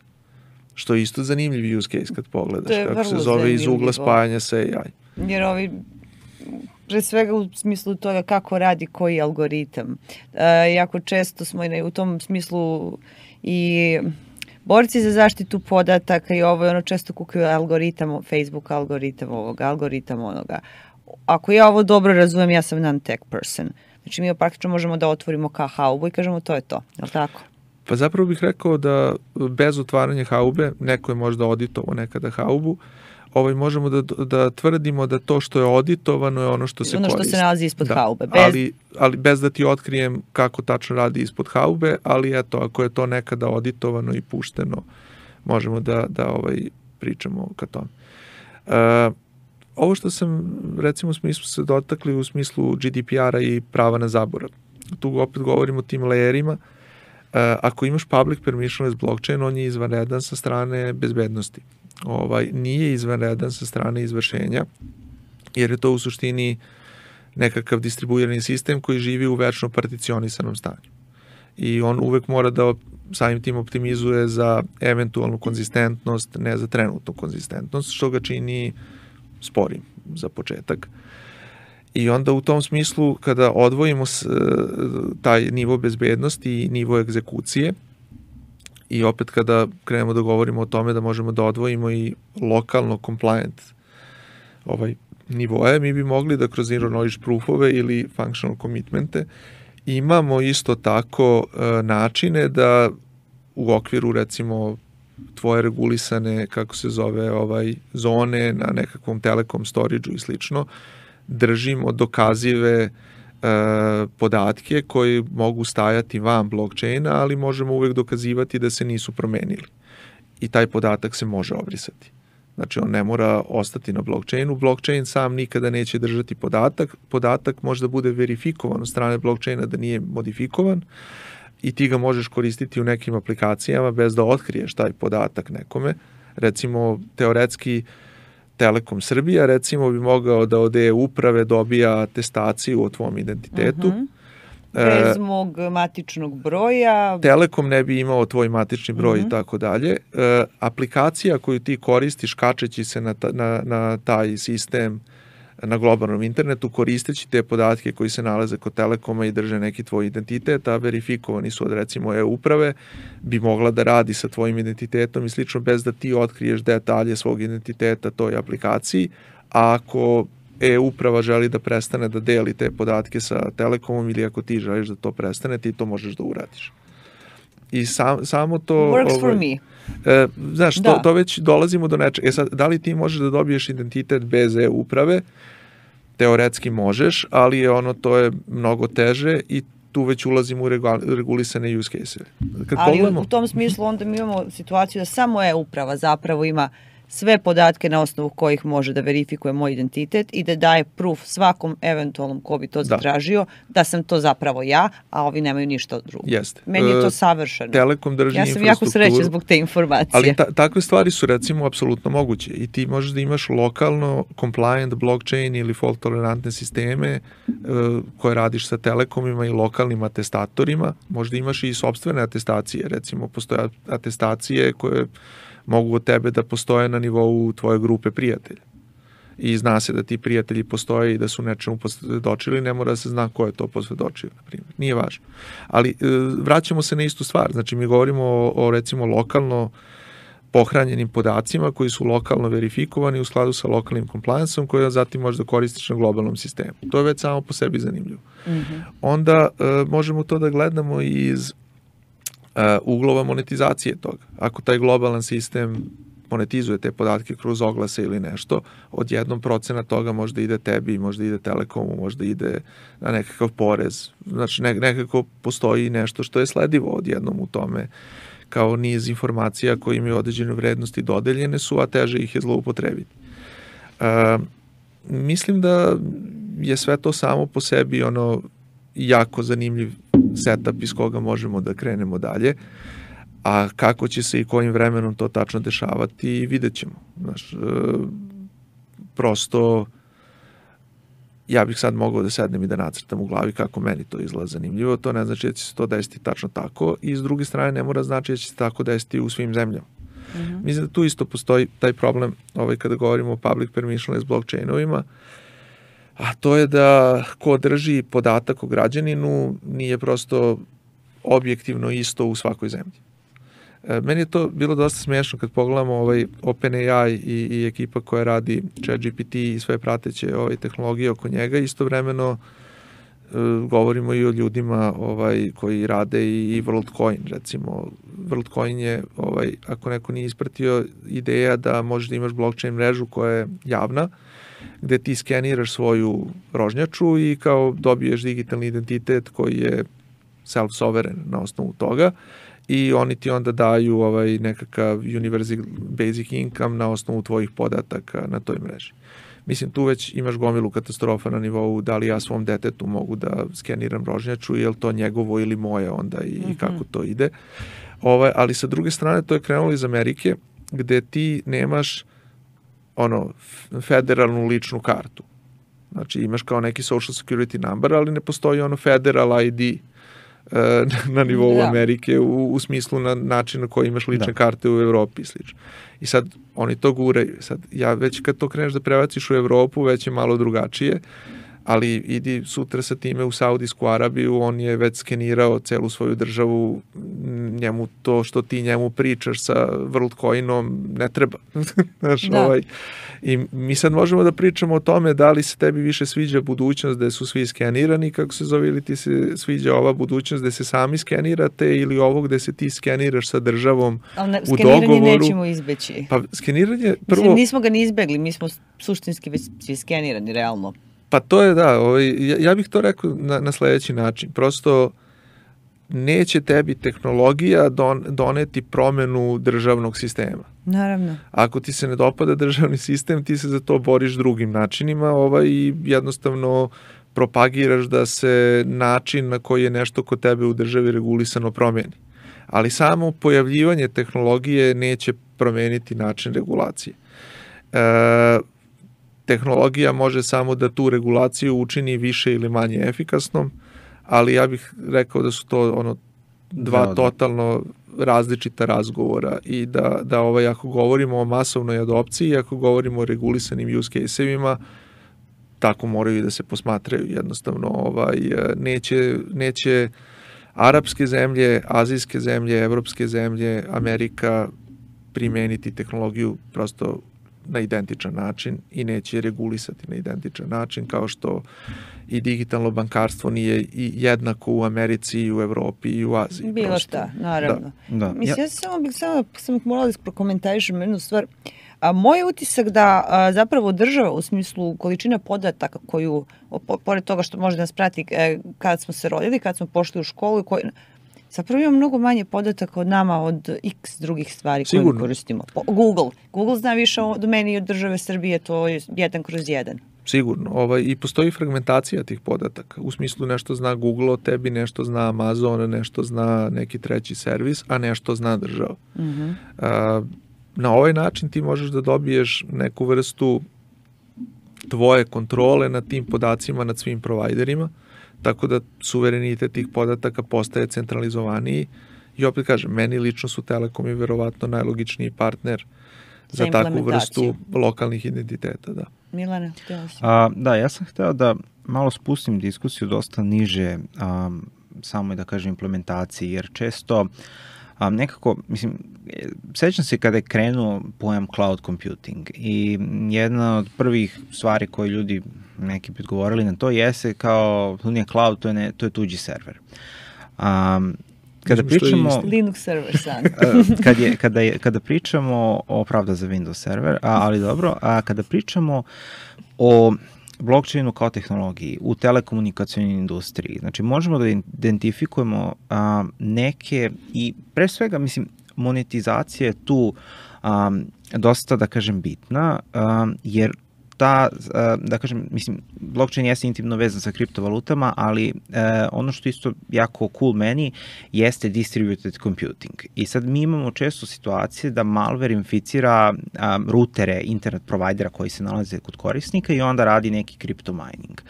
Što je isto zanimljiv use case kad pogledaš, kako se zove zanimljivo. Iz ugla spajanja sa A I. Jer ovi, pre svega u smislu toga kako radi koji algoritam. E, jako često smo u tom smislu i borci za zaštitu podataka i ovo je ono često kukaju algoritam, Facebook algoritam ovoga, algoritam onoga. Ako ja ovo dobro razumem, ja sam non-tech person. Znači mi praktično možemo da otvorimo ka haubu i kažemo to je to, je li tako? Pa zapravo bih rekao da bez otvaranja haube, neko je možda auditovao nekada haubu, ovaj, možemo da, da tvrdimo da to što je auditovano je ono što se ono koristi. Ono što se nalazi ispod da. haube. Bez... Ali, ali bez da ti otkrijem kako tačno radi ispod haube, ali eto, ako je to nekada auditovano i pušteno, možemo da, da ovaj, pričamo ka tome. Uh, ovo što sam, recimo, smo se dotakli u smislu G D P R-a i prava na zaborav. Tu opet govorimo o tim layerima. Uh, ako imaš public permissionless blockchain, on je izvanredan sa strane bezbednosti. Ovaj, nije izvanredan sa strane izvršenja, jer je to u suštini nekakav distribuirani sistem koji živi u večno particionisanom stanju. I on uvek mora da samim tim optimizuje za eventualnu konzistentnost, ne za trenutnu konzistentnost, što ga čini sporim za početak. I onda u tom smislu, kada odvojimo taj nivo bezbednosti i nivo egzekucije, i opet kada krenemo da govorimo o tome da možemo da odvojimo i lokalno compliant ovaj nivoje, mi bi mogli da kroz zero knowledge proofove ili functional commitmente imamo isto tako e, načine da u okviru recimo tvoje regulisane, kako se zove, ovaj zone na nekakvom telekom storage-u i slično, držimo dokazive podatke koji mogu stajati van blockchaina, ali možemo uvek dokazivati da se nisu promenili. I taj podatak se može obrisati. Znači, on ne mora ostati na blockchainu. Blockchain sam nikada neće držati podatak. Podatak može da bude verifikovan od strane blockchaina da nije modifikovan i ti ga možeš koristiti u nekim aplikacijama bez da otkriješ taj podatak nekome. Recimo, teoretski, Telekom Srbija, recimo, bi mogao da od e-uprave dobija atestaciju o tvom identitetu. Uh-huh. Bez mog matičnog broja. Telekom ne bi imao tvoj matični broj uh-huh. i tako dalje. E, aplikacija koju ti koristiš kačeći se na, ta, na, na taj sistem na globalnom internetu, koristeći te podatke koji se nalaze kod Telekoma i drže neki tvoj identitet, a verifikovani su od recimo e-uprave, bi mogla da radi sa tvojim identitetom i slično bez da ti otkriješ detalje svog identiteta toj aplikaciji, a ako e-uprava želi da prestane da deli te podatke sa Telekomom ili ako ti želiš da to prestane, ti to možeš da uradiš. I sam, samo to... Works for me. E, znaš, to, to već dolazimo do nečega. E sad, da li ti možeš da dobiješ identitet bez e-uprave? Teoretski možeš, ali je ono, to je mnogo teže i tu već ulazimo u regulisane use case-eve. Kad ali pogledamo... u tom smislu onda mi imamo situaciju da samo e-uprava zapravo ima sve podatke na osnovu kojih može da verifikuje moj identitet i da daje proof svakom eventualnom ko bi to zatražio, da, da sam to zapravo ja, a ovi nemaju ništa drugo. Jeste. Meni je to savršeno. Telekom drži ja sam jako srećna zbog te informacije. Ali ta, takve stvari su recimo apsolutno moguće i ti možeš da imaš lokalno compliant blockchain ili fault tolerantne sisteme uh, koje radiš sa Telekomima i lokalnim atestatorima. Možda imaš i sopstvene atestacije, recimo postoje atestacije koje mogu od tebe da postoje na nivou tvoje grupe prijatelja. i zna se da ti prijatelji postoje i da su nečemu posvedočili, ne mora da se zna ko je to posvedočio, na primjer. Nije važno. Ali vraćamo se na istu stvar. Znači, mi govorimo o, o recimo, lokalno pohranjenim podacima koji su lokalno verifikovani u skladu sa lokalnim compliance-om koji zatim možda koristiš na globalnom sistemu. To je već samo po sebi zanimljivo. Mm-hmm. Onda uh, možemo to da gledamo iz uh, uglova monetizacije toga. Ako taj globalan sistem monetizuje te podatke kroz oglase ili nešto, od jednom procena toga možda ide tebi, možda ide Telekomu, možda ide na nekakav porez. Znači ne, nekako postoji nešto što je sledivo odjednom u tome kao niz informacija koje imaju određene vrednosti dodeljene su, a teže ih je zloupotrebiti. Uh, mislim da je sve to samo po sebi ono jako zanimljiv setup iz koga možemo da krenemo dalje, a kako će se i kojim vremenom to tačno dešavati vidjet ćemo. Znaš, uh, prosto ja bih sad mogao da sednem i da nacrtam u glavi kako meni to izgleda zanimljivo, to ne znači da će se to desiti tačno tako i s druge strane ne mora znači da će se tako desiti u svim zemljama. Mm-hmm. Mislim da tu isto postoji taj problem ovaj, kada govorimo o public permissionless blockchainovima, a to je da ko drži podatak o građaninu nije prosto objektivno isto u svakoj zemlji. Meni je to bilo dosta smiješno kad pogledamo ovaj OpenAI i, i ekipa koja radi ChatGPT i sve prateće ovaj, tehnologije oko njega. Istovremeno e, govorimo i o ljudima ovaj, koji rade i, i WorldCoin. Recimo, WorldCoin je, ovaj, ako neko nije ispratio, ideja da možeš da imaš blockchain mrežu koja je javna, gde ti skeniraš svoju rožnjaču i kao dobiješ digitalni identitet koji je self-sovereign na osnovu toga. I oni ti onda daju ovaj nekakav universal basic income na osnovu tvojih podataka na toj mreži. Mislim, tu već imaš gomilu katastrofa na nivou da li ja svom detetu mogu da skeniram rožnjaču, je li to njegovo ili moje onda i, mm-hmm. i kako to ide. Ovaj, ali sa druge strane to je krenulo iz Amerike gde ti nemaš ono federalnu ličnu kartu. Znači imaš kao neki social security number, ali ne postoji ono federal I D na nivou da. Amerike u, u smislu na način na koji imaš lične da. Karte u Evropi i slično. I sad oni to guraju. Sad, ja već kad to kreneš da prebaciš u Evropu, već je malo drugačije, ali idi sutra sa time u Saudijsku Arabiju, on je već skenirao celu svoju državu, njemu to što ti njemu pričaš sa WorldCoinom ne treba. Znaš, da. Ovaj, i mi sad možemo da pričamo o tome da li se tebi više sviđa budućnost gde su svi skenirani, kako se zove, ili ti se sviđa ova budućnost gde se sami skenirate ili ovo gde se ti skeniraš sa državom ne, u dogovoru. Skeniranje nećemo izbeći. Pa skeniranje prvo... Mislim, nismo ga ni izbegli, mi smo suštinski već svi skenirani, realno. Pa to je da, ovaj, ja, ja bih to rekao na, na sledeći način. Prosto neće tebi tehnologija don, doneti promenu državnog sistema. Naravno. Ako ti se ne dopada državni sistem, ti se za to boriš drugim načinima ovaj, i jednostavno propagiraš da se način na koji je nešto kod tebe u državi regulisano promeni. Ali samo pojavljivanje tehnologije neće promeniti način regulacije. E, tehnologija može samo da tu regulaciju učini više ili manje efikasnom, ali ja bih rekao da su to ono dva da, totalno različita razgovora i da, da ovaj, ako govorimo o masovnoj adopciji, ako govorimo o regulisanim use case-evima, tako moraju i da se posmatraju. Jednostavno ovaj, neće, neće arapske zemlje, azijske zemlje, evropske zemlje, Amerika primeniti tehnologiju prosto na identičan način i neće regulisati na identičan način, kao što i digitalno bankarstvo nije i jednako u Americi i u Evropi i u Aziji. Bilo prosto. Šta, naravno. Da. Da. Mislim, ja samo bih samo, samo morala da prokomentarišem jednu stvar. A moj utisak da a, zapravo država u smislu količine podataka koju, po, pored toga što može da nas prati e, kad smo se rodili, kad smo pošli u školu i koji... Zapravo ima mnogo manje podataka od nama, od x drugih stvari koje mi koristimo. Google. Google zna više o domeni od države Srbije, to je jedan kroz jedan. Sigurno. Ovaj, I postoji fragmentacija tih podataka. U smislu nešto zna Google o tebi, nešto zna Amazon, nešto zna neki treći servis, a nešto zna država. Mm-hmm. A, na ovaj način ti možeš da dobiješ neku vrstu tvoje kontrole nad tim podacima, nad svim provajderima, tako da suverenitet tih podataka postaje centralizovaniji i opet kažem, meni lično su Telekom i verovatno najlogičniji partner za, za takvu vrstu lokalnih identiteta. Da. Milane, htjela si? A, da, ja sam hteo da malo spustim diskusiju dosta niže um, samoj, da kažem, implementaciji, jer često um, nekako, mislim, sećam se kada je krenuo pojam cloud computing i jedna od prvih stvari koje ljudi neki put govorili na to jeste kao, to nije cloud, to je, ne, to je tuđi server. Um, Kada pričamo Linux server sad. kad je, kada, je, kada pričamo o pravda za Windows server, a, ali dobro, a kada pričamo o blockchainu kao tehnologiji u telekomunikacijnoj industriji, znači možemo da identifikujemo a, neke i pre svega, mislim, monetizacija je tu a, dosta, da kažem, bitna, a, jer ta, da kažem, mislim, blockchain jeste intimno vezan sa kriptovalutama, ali eh, ono što isto jako cool meni jeste distributed computing. I sad mi imamo često situacije da malware inficira um, rutere internet provajdera koji se nalaze kod korisnika i onda radi neki crypto mining.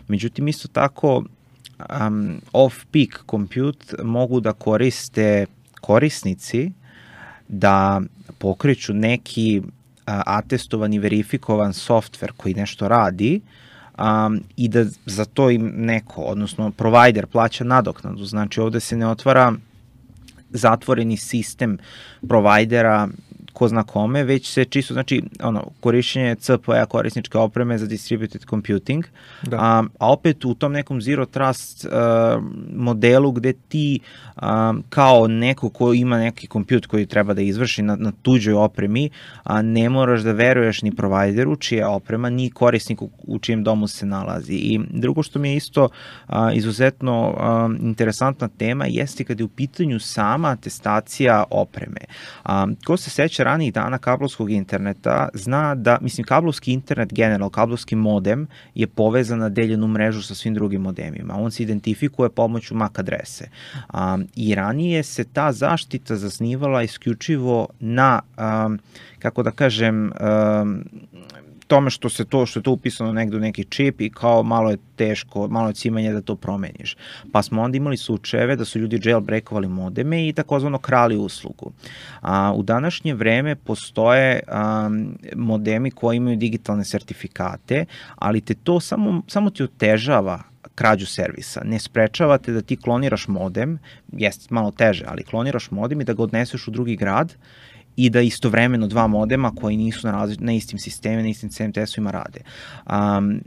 Međutim, isto tako um, off-peak compute mogu da koriste korisnici da pokreću neki atestovani, verifikovan softver koji nešto radi um, i da za to im neko, odnosno provider plaća nadoknadu. Znači ovde se ne otvara zatvoreni sistem provajdera ko zna kome, već se čisto, znači, ono, korišćenje C P A korisničke opreme za distributed computing, da. a, a opet u tom nekom zero trust uh, modelu gde ti um, kao neko ko ima neki kompjut koji treba da izvrši na, na tuđoj opremi, a ne moraš da veruješ ni provideru čija oprema, ni korisniku u čijem domu se nalazi. I drugo što mi je isto a, izuzetno a, interesantna tema jeste kada je u pitanju sama atestacija opreme. A, ko se seća ranijih dana kablovskog interneta zna da, mislim, kablovski internet general, kablovski modem je povezan na deljenu mrežu sa svim drugim modemima. On se identifikuje pomoću M A C adrese. Um, I ranije se ta zaštita zasnivala isključivo na, um, kako da kažem, um, tome što se to što je to upisano negde u neki čip i kao malo je teško, malo je cimanje da to promeniš. Pa smo onda imali slučajeve da su ljudi jailbreakovali modeme i takozvano krali uslugu. A, u današnje vreme postoje a, modemi koji imaju digitalne sertifikate, ali te to samo, samo ti otežava krađu servisa. Ne sprečavate da ti kloniraš modem, jeste malo teže, ali kloniraš modem i da ga odneseš u drugi grad i da istovremeno dva modema koji nisu na, razli, na istim sistemima, na istim C M T S-ovima rade. Um,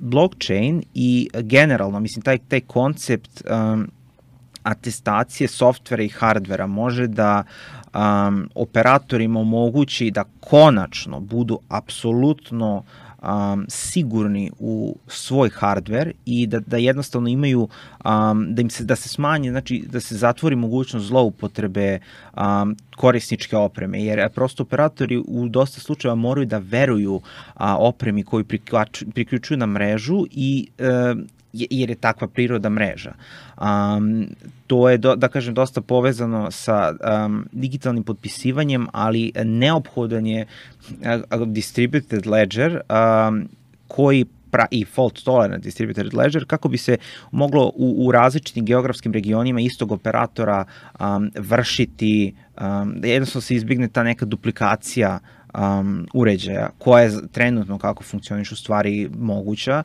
blockchain i generalno, mislim, taj, taj koncept um, atestacije softvera i hardvera može da um, operatorima omogući da konačno budu apsolutno Um, sigurni u svoj hardware i da, da jednostavno imaju, um, da im se, da se smanji, znači da se zatvori mogućnost zloupotrebe um, korisničke opreme, jer prosto operatori u dosta slučajeva moraju da veruju a, opremi koju priključuju na mrežu i um, jer je takva priroda mreža. Um, to je, do, da kažem, dosta povezano sa um, digitalnim potpisivanjem, ali neophodan je uh, distributed ledger um, koji pra, i fault tolerant distributed ledger kako bi se moglo u, u različitim geografskim regionima istog operatora um, vršiti, um, da jednostavno se izbigne ta neka duplikacija Um, uređaja, koja je trenutno kako funkcioniš u stvari moguća.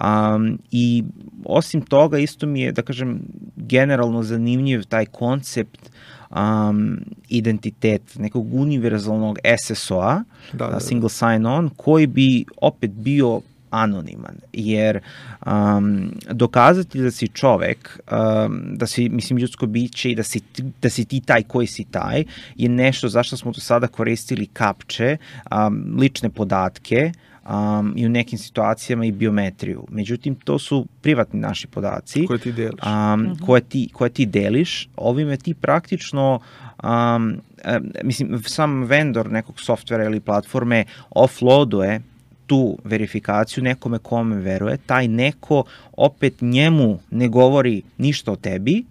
Um, I osim toga isto mi je, da kažem, generalno zanimljiv taj koncept um, identitet nekog univerzalnog S S O-a, da, da, da. Single sign-on, koji bi opet bio anoniman, jer um, dokazati da si čovek, um, da si, mislim, ljudsko biće i da si, da si ti taj koji si taj, je nešto zašto smo do sada koristili kapče, um, lične podatke, um, i u nekim situacijama i biometriju. Međutim, to su privatni naši podaci. Koje ti deliš. Um, mm-hmm. koje, ti, koje ti deliš. Ovime ti praktično, um, uh, mislim, sam vendor nekog softvera ili platforme offloaduje tu verifikaciju nekome kome veruje, taj neko opet njemu ne govori ništa o tebi,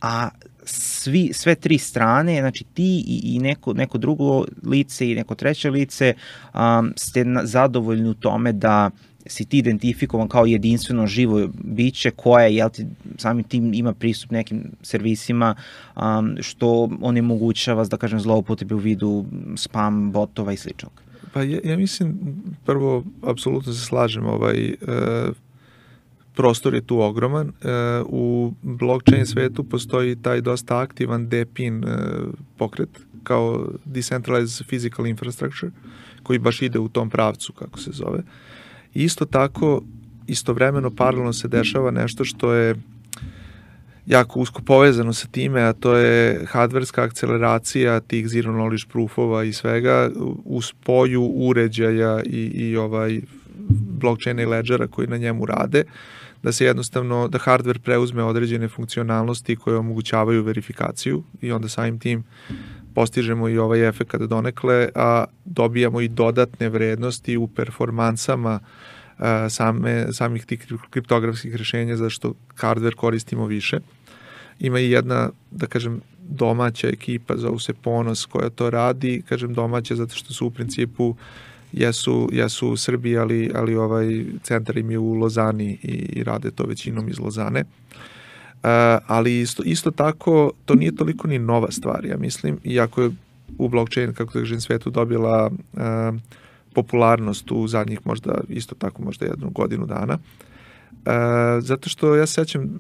a svi, sve tri strane, znači ti i, i neko, neko drugo lice i neko treće lice um, ste na, zadovoljni u tome da si ti identifikovan kao jedinstveno živo biće koje, jel ti, samim tim ima pristup nekim servisima, um, što onemogućava, da kažem, zloupotrebe u vidu spam, botova i sličnog. Pa ja, ja mislim, prvo, apsolutno se slažem, ovaj, e, prostor je tu ogroman. E, u blockchain svetu postoji taj dosta aktivan D P I N e, pokret, kao Decentralized Physical Infrastructure, koji baš ide u tom pravcu, kako se zove. I isto tako, istovremeno, paralelno se dešava nešto što je jako usko povezano sa time, a to je hardverska akceleracija tih zero knowledge proofova i svega u spoju uređaja i, i ovaj blockchaina i ledgera koji na njemu rade, da se jednostavno, da hardware preuzme određene funkcionalnosti koje omogućavaju verifikaciju i onda samim tim postižemo i ovaj efekt donekle, a dobijamo i dodatne vrednosti u performansama same, samih tih kriptografskih rešenja, zašto hardware koristimo više. Ima i jedna, da kažem, domaća ekipa, zovu se Ponos, koja to radi, kažem domaća zato što su u principu jesu, jesu u Srbiji, ali, ali ovaj centar im je u Lozani i, i rade to većinom iz Lozane. Uh, ali isto, isto tako, to nije toliko ni nova stvar, ja mislim, iako je u blockchain, kako da kažem, svetu dobila uh, popularnost u zadnjih možda, isto tako možda jednu godinu dana. Uh, zato što ja sećam,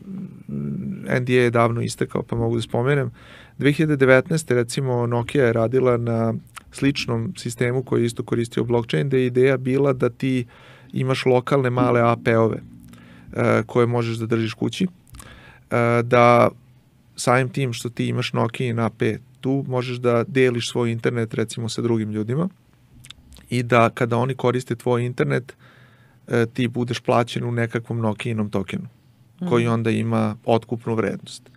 N D A je davno istekao, pa mogu da spomenem, dve hiljade devetnaeste. recimo Nokia je radila na sličnom sistemu koji je isto koristio blockchain, da je ideja bila da ti imaš lokalne male A P-ove uh, koje možeš da držiš kući, uh, da samim tim što ti imaš Nokia na A P, tu možeš da deliš svoj internet recimo sa drugim ljudima i da kada oni koriste tvoj internet, ti budeš plaćen u nekakvom Nokijinom tokenu, koji onda ima otkupnu vrednost.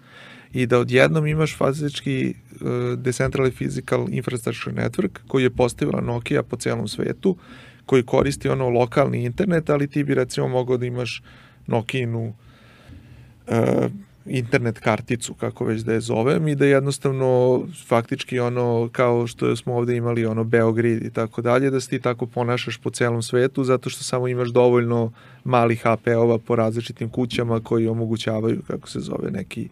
I da odjednom imaš fizički uh, Decentralized Physical Infrastructure Network, koji je postavila Nokia po celom svetu, koji koristi ono lokalni internet, ali ti bi recimo mogao da imaš Nokijinu uh, internet karticu, kako već da je zovem, i da jednostavno faktički ono kao što smo ovde imali ono Beogrid i tako dalje, da se ti tako ponašaš po celom svetu, zato što samo imaš dovoljno malih A P-ova po različitim kućama koji omogućavaju, kako se zove, neki,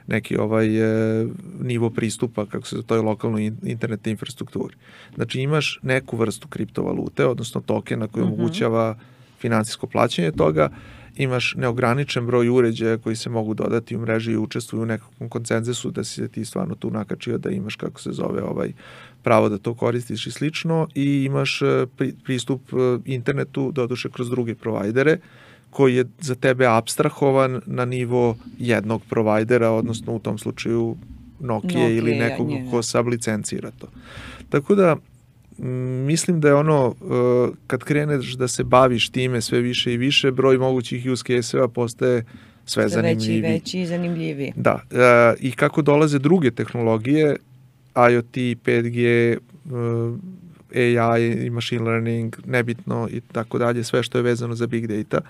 neki ovaj e, nivo pristupa, kako se zove, toj lokalnoj internet infrastrukturi. Znači imaš neku vrstu kriptovalute, odnosno tokena koji mm-hmm. omogućava finansijsko plaćanje toga, imaš neograničen broj uređaja koji se mogu dodati u mreži i učestvuju u nekakvom konsenzusu da si se ti stvarno tu nakačio da imaš, kako se zove, ovaj pravo da to koristiš i slično, i imaš pri, pristup internetu, doduše kroz druge provajdere, koji je za tebe apstrahovan na nivo jednog provajdera, odnosno u tom slučaju Nokia, Nokia ili nekog ja, ko sablicencira to. Tako da mislim da je ono, kad kreneš da se baviš time sve više i više, broj mogućih use case-eva postaje sve zanimljiviji. Veći, veći i zanimljiviji. Da, i kako dolaze druge tehnologije, IoT, pet G, A I i machine learning, nebitno i tako dalje, sve što je vezano za big data,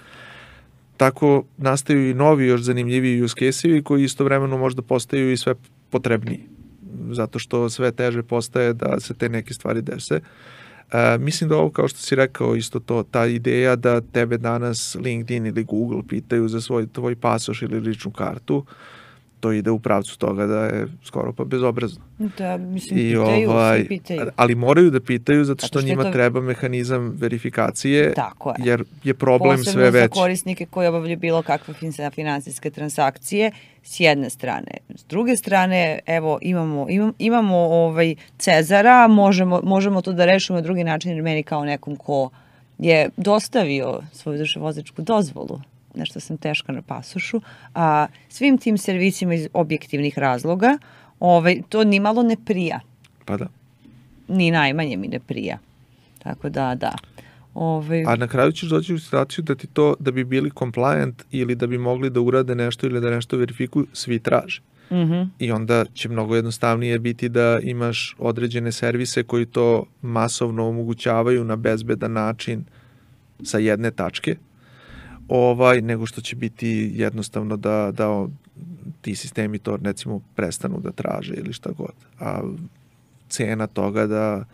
tako nastaju i novi, još zanimljiviji use case-evi koji istovremeno možda postaju i sve potrebniji, zato što sve teže postaje da se te neke stvari dese. E, mislim da ovo, kao što si rekao, isto to, ta ideja da tebe danas LinkedIn ili Google pitaju za svoj tvoj pasoš ili ličnu kartu, to ide u pravcu toga da je skoro pa bezobrazno. Da, mislim, I pitaju, ovaj, svi pitaju. Ali moraju da pitaju zato što, što njima to... treba mehanizam verifikacije, tako je. Jer je problem posebno sve veći. Posebno za korisnike koji obavljaju bilo kakve finansijske transakcije, s jedne strane. S druge strane, evo, imamo, imamo, imamo ovaj Cezara, možemo, možemo to da rešimo na drugi način, jer meni kao nekom ko je dostavio svoju vozačku dozvolu, nešto sam teška na pasošu, a svim tim servisima iz objektivnih razloga, ovaj, to ni malo ne prija. Pa da. Ni najmanje mi ne prija. Tako da, da. Ove... A na kraju ćeš doći u situaciju da ti to, da bi bili compliant ili da bi mogli da urade nešto ili da nešto verifikuju, svi traže. Mm-hmm. I onda će mnogo jednostavnije biti da imaš određene servise koji to masovno omogućavaju na bezbedan način sa jedne tačke, ovaj, nego što će biti jednostavno da, da ti sistemi to recimo prestanu da traže ili šta god. A cena toga da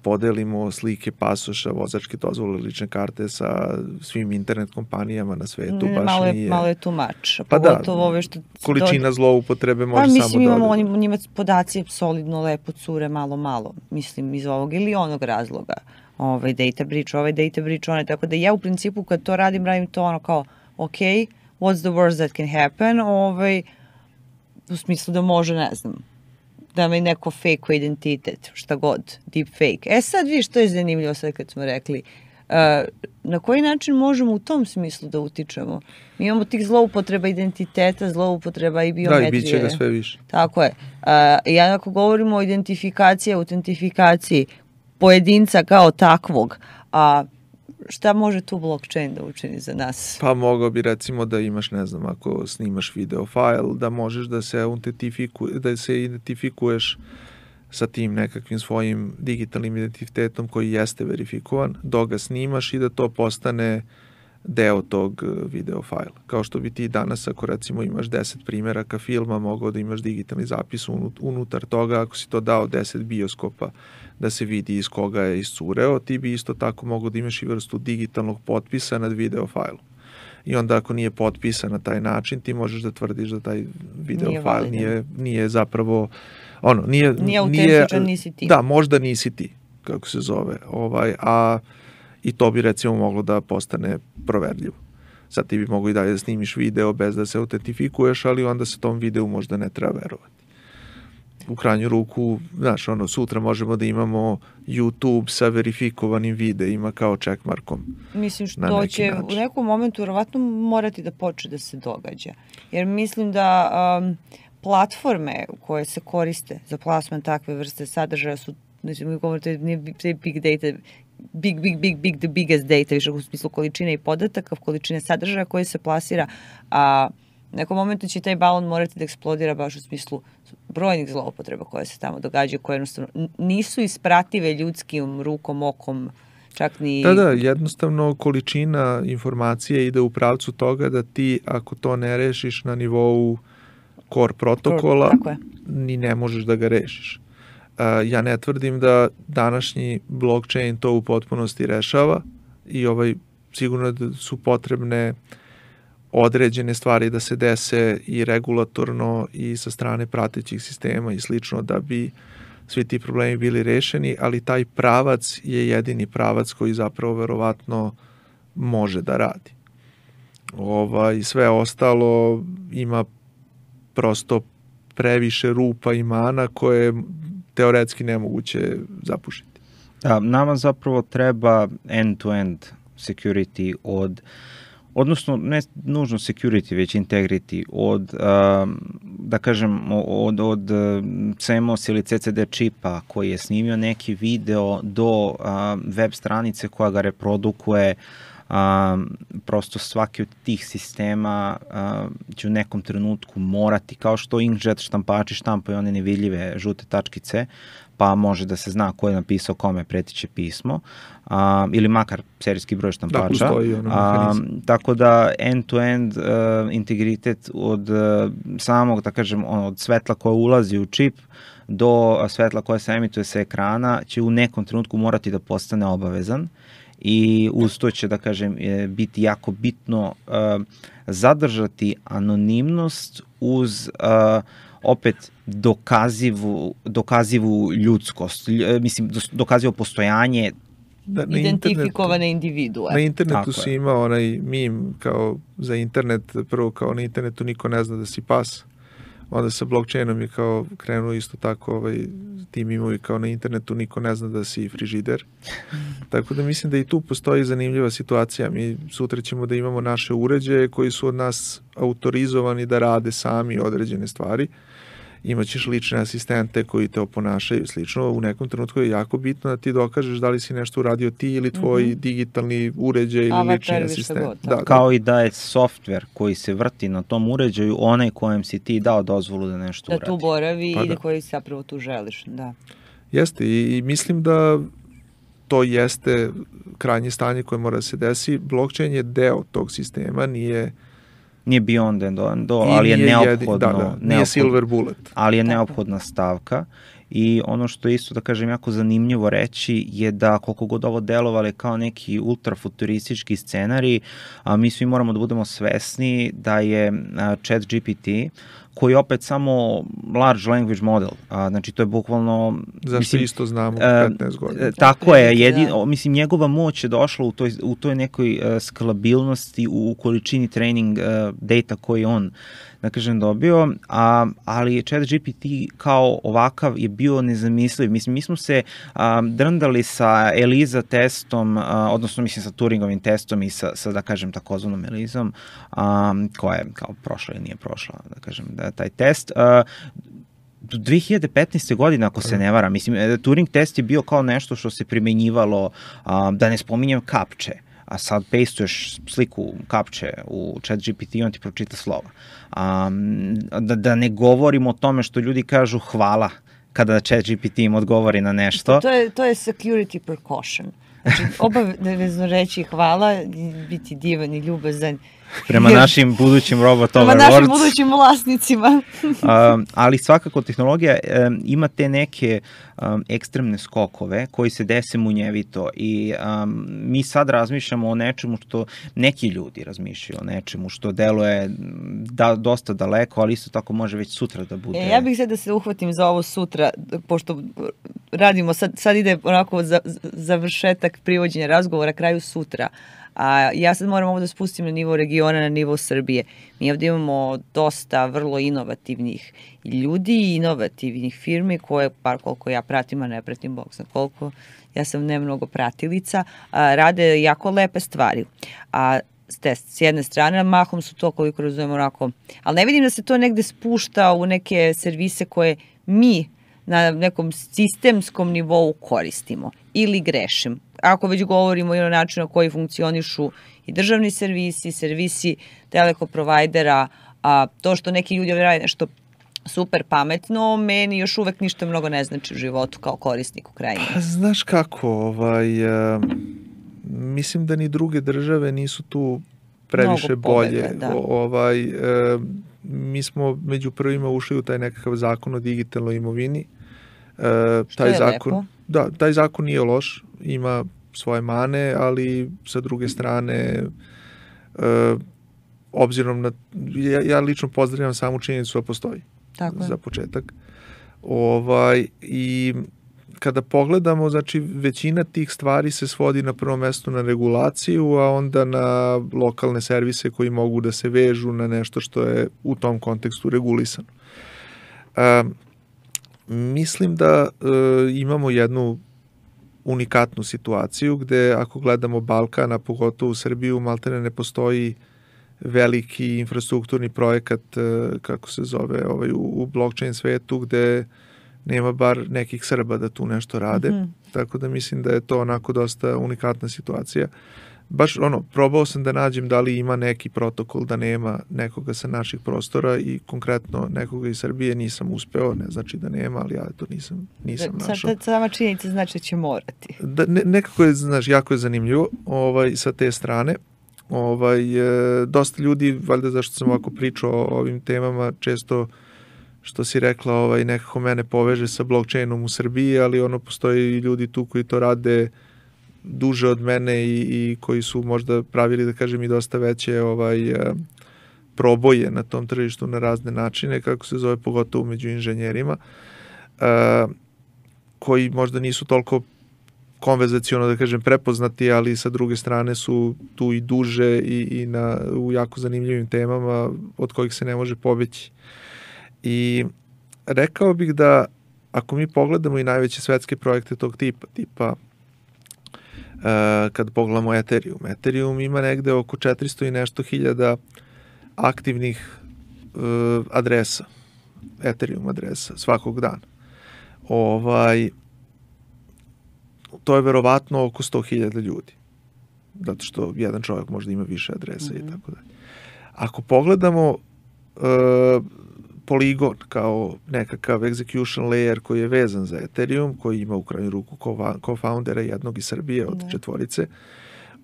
podelimo slike pasoša, vozačke dozvole, lične karte sa svim internet kompanijama na svetu, ne, baš malo je, nije... Malo je tumač. Pa da, ove što količina do... zloupotrebe može pa, mislim, samo imamo dodati. Imamo njima podaci solidno, lepo cure, malo, malo, mislim, iz ovog ili onog razloga. ovaj data breach, ovaj data breach, onaj, tako da ja u principu kad to radim, radim to ono kao, ok, what's the worst that can happen, ovaj, u smislu da može, ne znam, da mi neko fake identitet, šta god, deep fake. E sad vi što je zanimljivo sad kad smo rekli, uh, na koji način možemo u tom smislu da utičemo? Mi imamo tih zloupotreba identiteta, zloupotreba i biometrije. Da, i bit će ga sve više. Tako je. Uh, ja ako govorimo o identifikaciji, autentifikaciji pojedinca kao takvog, a šta može tu blockchain da učini za nas? Pa mogao bi recimo da imaš, ne znam, ako snimaš video file, da možeš da se autentifikuje, da se identifikuješ sa tim nekakvim svojim digitalnim identitetom koji jeste verifikovan, dok ga snimaš i da to postane deo tog video fajla. Kao što bi ti danas, ako recimo imaš deset primjeraka filma, mogao da imaš digitalni zapis unutar toga, ako si to dao deset bioskopa da se vidi iz koga je iscureo, ti bi isto tako mogao da imaš i vrstu digitalnog potpisa nad video fajlom. I onda ako nije potpisan na taj način, ti možeš da tvrdiš da taj video nije fajl nije, nije zapravo ono, nije, nije autentičan, nisi ti. Da, možda nisi ti, kako se zove, ovaj, a i to bi recimo moglo da postane proverljivo. Sad ti bi mogao i dalje da snimiš video bez da se autentifikuješ, ali onda se tom videu možda ne treba verovati. U krajnju ruku, znaš, ono, sutra možemo da imamo YouTube sa verifikovanim videima kao checkmarkom. Mislim što će način. U nekom momentu verovatno morati da počne da se događa. Jer mislim da um, platforme koje se koriste za plasman takve vrste sadržaja su, znači mi govorite, nije big data, big, big, big, big, the biggest data, više u smislu količine i podataka, količine sadržaja koje se plasira, a u nekom momentu će taj balon morati da eksplodira baš u smislu brojnih zloupotreba koje se tamo događaju, koje jednostavno nisu isprative ljudskim rukom, okom, čak ni... Da, da, jednostavno količina informacije ide u pravcu toga da ti, ako to ne rešiš na nivou core protokola, Core, ni ne možeš da ga rešiš. Uh, ja ne tvrdim da današnji blockchain to u potpunosti rešava i ovaj, sigurno da su potrebne određene stvari da se dese i regulatorno i sa strane pratećih sistema i slično da bi svi ti problemi bili rešeni, ali taj pravac je jedini pravac koji zapravo verovatno može da radi. Ovaj, sve ostalo ima prosto previše rupa i mana koje je teoretski nemoguće zapušiti. Da, nama zapravo treba end-to-end security od odnosno ne nužno security, već integrity od, da kažem, od, od C M O S ili C C D čipa koji je snimio neki video do web stranice koja ga reprodukuje. Prosto svaki od tih sistema će u nekom trenutku morati, kao što inkjet štampači štampaju one nevidljive žute tačkice, pa može da se zna ko je napisao kome pretiće pismo, a, ili makar serijski broj štampača. Da, postoji ono mehanizam. Tako da end-to-end uh, integritet od uh, samog, da kažem, ono, od svetla koje ulazi u čip do svetla koje se emituje sa ekrana će u nekom trenutku morati da postane obavezan i uz to će, da kažem, biti jako bitno uh, zadržati anonimnost uz uh, opet dokazivu, dokazivu ljudskost, mislim, dokazivo postojanje da, identifikovane individue. Na internetu si imao onaj meme kao za internet, prvo kao na internetu niko ne zna da si pas, onda sa blockchainom je kao krenuo isto tako ovaj, ti memovi kao na internetu niko ne zna da si frižider. Tako da mislim da i tu postoji zanimljiva situacija. Mi sutra ćemo da imamo naše uređaje koji su od nas autorizovani da rade sami određene stvari. Imaćeš lične asistente koji te oponašaju slično. U nekom trenutku je jako bitno da ti dokažeš da li si nešto uradio ti ili tvoj mm-hmm. digitalni uređaj ili Avatar, lični asistent. God, da, kao da. I da je softver koji se vrti na tom uređaju onaj kojem si ti dao dozvolu da nešto da uradi. Da tu boravi pa i da. koji zapravo tu želiš. Da. Jeste i, i mislim da to jeste krajnje stanje koje mora da se desi. Blockchain je deo tog sistema, nije Nije beyond and on, do, ali je neophodno, jedin, da, da, nije neophodno, silver bullet. Ali je neophodna stavka i ono što je isto, da kažem, jako zanimljivo reći je da koliko god ovo delovale kao neki ultrafuturistički scenarij, a mi svi moramo da budemo svesni da je Chat G P T koji je opet samo large language model. A, znači, to je bukvalno... Zašto mislim, isto znamo petnaest godina. E, tako je, jedin, mislim, njegova moć je došla u toj, u toj nekoj uh, skalabilnosti, u, u količini training uh, data koji on, da kažem, dobio, a, ali Chat G P T kao ovakav je bio nezamisliv. Mislim, mi smo se a, drndali sa ELISA testom, a, odnosno, mislim, sa Turingovim testom i sa, sa da kažem, takozvanom ELISom, a, koja je kao prošla ili nije prošla, da kažem, da taj test. A, do dve hiljade petnaeste. godine, ako se ne vara, mislim, Turing test je bio kao nešto što se primenjivalo, a, da ne spominjem kapče, a sad pastuješ sliku kapče u Chat G P T i on ti pročita slova. Um, da, da ne govorimo o tome što ljudi kažu hvala kada Chat G P T im odgovori na nešto. To je, to je security precaution. Znači, obavezno reći hvala, biti divan i ljubazan. Prema jer, našim budućim robot overlords. Prema našim budućim vlasnicima. um, ali svakako tehnologija um, ima te neke um, ekstremne skokove koji se dese munjevito i um, mi sad razmišljamo o nečemu što neki ljudi razmišljaju o nečemu što deluje da, dosta daleko, ali isto tako može već sutra da bude. E, ja bih sad da se uhvatim za ovo sutra, pošto radimo, sad, sad ide onako za, završetak privođenja razgovora kraju sutra. A ja sad moram ovo da spustim na nivo regiona, na nivo Srbije. Mi ovdje imamo dosta vrlo inovativnih ljudi i inovativnih firmi koje, par koliko ja pratim, a ne pratim bog zna koliko, ja sam ne mnogo pratilica, a, rade jako lepe stvari. A s jedne strane, mahom su to, koliko razumemo, onako, ali ne vidim da se to negde spušta u neke servise koje mi na nekom sistemskom nivou koristimo ili grešim. Ako već govorimo i o načinu na koji funkcionišu i državni servisi, servisi teleko provajdera, a to što neki ljudi rade nešto super pametno, meni još uvek ništa mnogo ne znači u životu kao korisniku krajnje. Pa, znaš kako, ovaj, uh, mislim da ni druge države nisu tu previše bolje. Da. Ovaj, uh, mi smo među prvima ušli u taj nekakav zakon o digitalnoj imovini. Uh, Što taj je zakon, lepo. Da, taj zakon nije loš, ima svoje mane, ali sa druge strane, uh, obzirom na, ja, ja lično pozdravljam samu činjenicu da postoji. Tako za početak. Ovaj, i kada pogledamo, znači većina tih stvari se svodi na prvom mestu na regulaciju, a onda na lokalne servise koji mogu da se vežu na nešto što je u tom kontekstu regulisano. Um, mislim da uh, imamo jednu unikatnu situaciju gde ako gledamo Balkan, a pogotovo u Srbiju, maltene ne postoji veliki infrastrukturni projekat, kako se zove, ovaj, u, u blockchain svetu, gde nema bar nekih Srba da tu nešto rade. Mm-hmm. Tako da mislim da je to onako dosta unikatna situacija. Baš ono, probao sam da nađem da li ima neki protokol da nema nekoga sa naših prostora i konkretno nekoga iz Srbije nisam uspeo, ne znači da nema, ali ja to nisam, nisam da, našao. Sad sama činjenica znači da će morati. Da, ne, nekako je, znaš, jako je zanimljivo ovaj, sa te strane. Ovaj, e, dosta ljudi, valjda zašto sam ovako pričao o ovim temama, često što si rekla, ovaj, nekako mene poveže sa blockchainom u Srbiji, ali ono, postoji ljudi tu koji to rade duže od mene i, i koji su možda pravili, da kažem, i dosta veće ovaj, e, proboje na tom tržištu na razne načine, kako se zove, pogotovo među inženjerima, e, koji možda nisu toliko konverzaciono, da kažem, prepoznati, ali sa druge strane su tu i duže i, i na, u jako zanimljivim temama od kojih se ne može pobeći. I rekao bih da ako mi pogledamo i najveće svetske projekte tog tipa, tipa uh, kad pogledamo Ethereum, Ethereum ima negde oko četiristo i nešto hiljada aktivnih uh, adresa, Ethereum adresa svakog dana. Ovaj to je verovatno oko sto hiljada ljudi. Zato što jedan čovjek možda ima više adresa mm-hmm. i tako dalje. Ako pogledamo uh, Polygon kao nekakav execution layer koji je vezan za Ethereum, koji ima u krajnju ruku co-foundera jednog iz Srbije od mm-hmm. četvorice,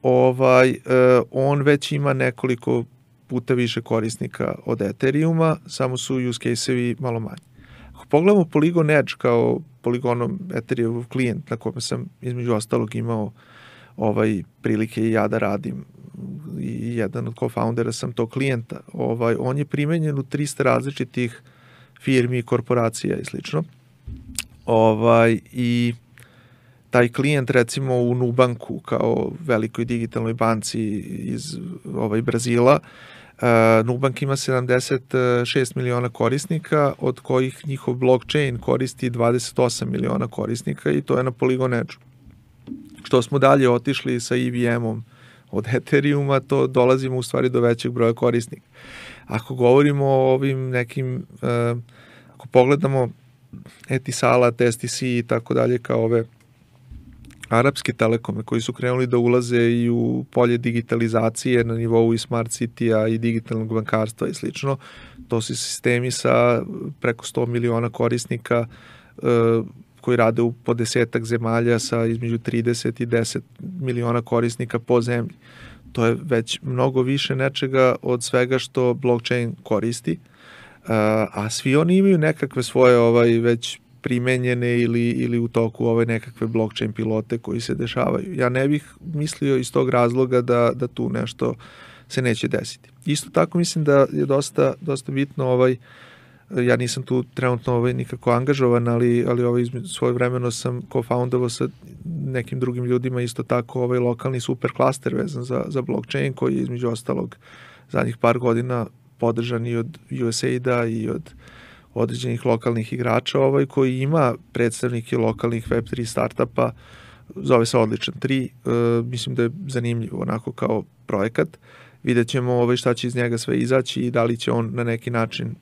ovaj, uh, on već ima nekoliko puta više korisnika od Ethereuma, samo su use case-evi malo manji. Ako pogledamo Polygon Edge kao Polygonom Ethereum klijent na kome sam između ostalog imao ovaj prilike i ja da radim i jedan od co-foundera sam tog klijenta, ovaj, on je primenjen u trista različitih firmi, korporacija i slično. Ovaj, i taj klijent recimo u Nubanku kao velikoj digitalnoj banci iz ovaj, Brazila, uh, Nubank ima sedamdeset šest miliona korisnika, od kojih njihov blockchain koristi dvadeset osam miliona korisnika i to je na Polygon Edge. Što smo dalje otišli sa E V M-om od Ethereuma, to dolazimo u stvari do većeg broja korisnika. Ako govorimo o ovim nekim, uh, ako pogledamo Etisalat, S T C i tako dalje kao ove arapske telekome koji su krenuli da ulaze i u polje digitalizacije na nivou i smart city-a i digitalnog bankarstva i slično, to su sistemi sa preko sto miliona korisnika uh, koji rade u po desetak zemalja sa između trideset i deset miliona korisnika po zemlji. To je već mnogo više nečega od svega što blockchain koristi, a svi oni imaju nekakve svoje ovaj već primenjene ili, ili u toku ove nekakve blockchain pilote koji se dešavaju. Ja ne bih mislio iz tog razloga da, da tu nešto se neće desiti. Isto tako mislim da je dosta, dosta bitno ovaj ja nisam tu trenutno ovaj nikako angažovan, ali, ali ovaj svoje vremeno sam co-foundovao sa nekim drugim ljudima isto tako ovaj lokalni super klaster vezan za, za blockchain koji je između ostalog zadnjih par godina podržan i od U S A I D-a i od određenih lokalnih igrača ovaj, koji ima predstavnike lokalnih web tri startupa, zove se Odličan tri, e, mislim da je zanimljiv onako kao projekat. Vidjet ćemo ovaj, šta će iz njega sve izaći i da li će on na neki način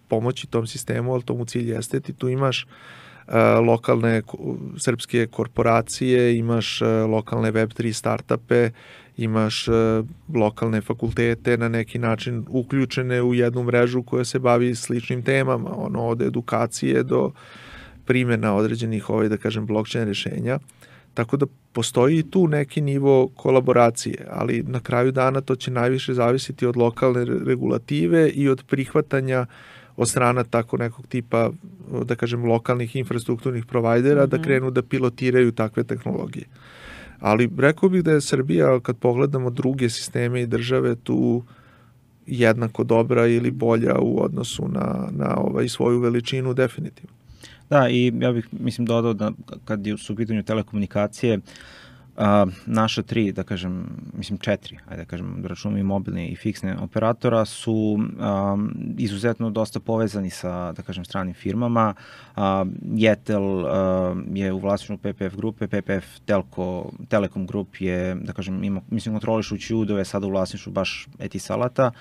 pomoći tom sistemu, ali to mu cilj jeste. Ti tu imaš uh, lokalne srpske korporacije, imaš uh, lokalne web tri startupe, imaš uh, lokalne fakultete na neki način uključene u jednu mrežu koja se bavi sličnim temama, ono od edukacije do primjena određenih ovaj, da kažem, blockchain rešenja. Tako da postoji tu neki nivo kolaboracije, ali na kraju dana to će najviše zavisiti od lokalne regulative i od prihvatanja od strana tako nekog tipa, da kažem, lokalnih infrastrukturnih provajdera mm-hmm. da krenu da pilotiraju takve tehnologije. Ali rekao bih da je Srbija, kad pogledamo druge sisteme i države, tu jednako dobra ili bolja u odnosu na, na ovaj svoju veličinu definitivno. Da, i ja bih, mislim, dodao da kad su u pitanju telekomunikacije, Uh, naša tri, da kažem, mislim četiri, ajde da kažem, da računamo i mobilne i fiksne operatora su um, izuzetno dosta povezani sa, da kažem, stranim firmama. Uh, Jetel uh, je u vlasništvu P P F grupe, P P F Telko, Telekom Grup je, da kažem, ima, mislim, kontrolišu Ćudove, sada u vlasništvu baš Etisalata,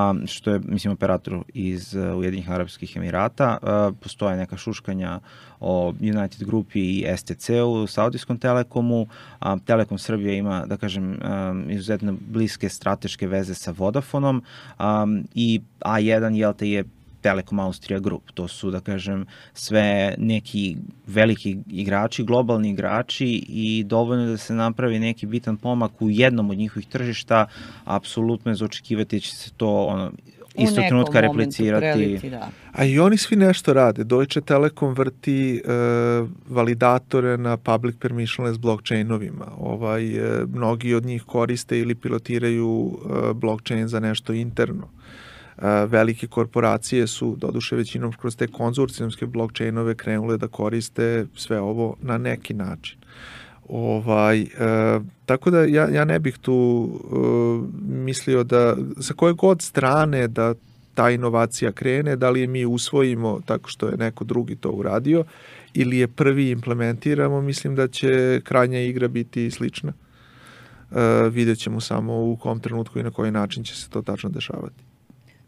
Um, što je, mislim, operator iz uh, Ujedinjenih Arapskih Emirata. Uh, postoje neka šuškanja o United Grupi i S T C-u, Saudijskom Telekomu. Um, Telekom Srbija ima, da kažem, um, izuzetno bliske strateške veze sa Vodafonom um, i A jedan jel te je Telekom Austrija Grup. To su, da kažem, sve neki veliki igrači, globalni igrači i dovoljno da se napravi neki bitan pomak u jednom od njihovih tržišta, apsolutno je za očekivati da će se to ono, isto trenutka replicirati. Preliti, da. A i oni svi nešto rade. Deutsche Telekom vrti e, validatore na public permissionless blockchainovima. Ovaj, e, mnogi od njih koriste ili pilotiraju e, blockchain za nešto interno. Velike korporacije su, doduše većinom kroz te konzorcijumske blockchainove, krenule da koriste sve ovo na neki način. Ovaj, e, tako da ja, ja ne bih tu e, mislio da sa koje god strane da ta inovacija krene, da li je mi usvojimo tako što je neko drugi to uradio ili je prvi implementiramo, mislim da će krajnja igra biti slična. E, vidjet ćemo samo u kom trenutku i na koji način će se to tačno dešavati.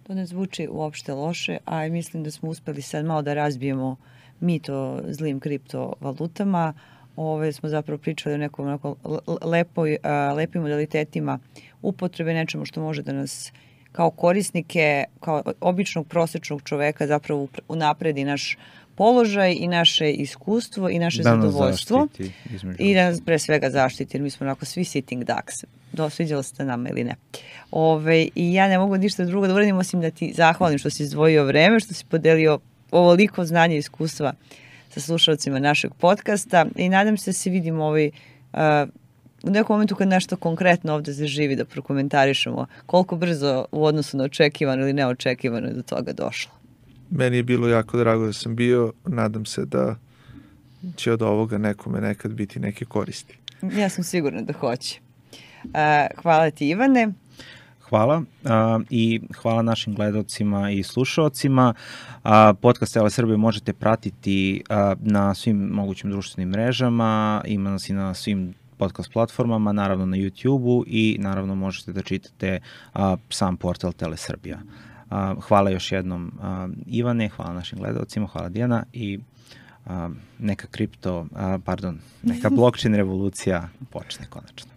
To ne zvuči uopšte loše, a mislim da smo uspeli sad malo da razbijemo mito zlim kriptovalutama. Ove smo zapravo pričali o nekom onako lepoj, lepim modalitetima upotrebe, nečemu što može da nas kao korisnike, kao običnog prosečnog čoveka zapravo unapredi naš položaj i naše iskustvo i naše da zadovoljstvo i da nas pre svega zaštiti, jer mi smo onako svi sitting ducks. Dosviđalo se nama ili ne. Ove, I ja ne mogu ništa drugo da uradim osim da ti zahvalim što si izdvojio vreme, što si podelio ovoliko znanja i iskustva sa slušalcima našeg podcasta i nadam se da se vidimo ovaj, uh, u nekom momentu kad nešto konkretno ovde zaživi da prokomentarišemo koliko brzo u odnosu na očekivano ili neočekivano je do toga došlo. Meni je bilo jako drago da sam bio, nadam se da će od ovoga nekome nekad biti neke koristi. Ja sam sigurna da hoće. Uh, hvala ti, Ivane. Hvala uh, i hvala našim gledalcima i slušalcima. Uh, podcast Tele Srbije možete pratiti uh, na svim mogućim društvenim mrežama, ima nas i na svim podcast platformama, naravno na YouTube-u i naravno možete da čitate uh, sam portal Tele Srbija. Uh, hvala još jednom uh, Ivane, hvala našim gledalcima, hvala Dijana i uh, neka kripto, uh, pardon, neka blockchain revolucija počne konačno.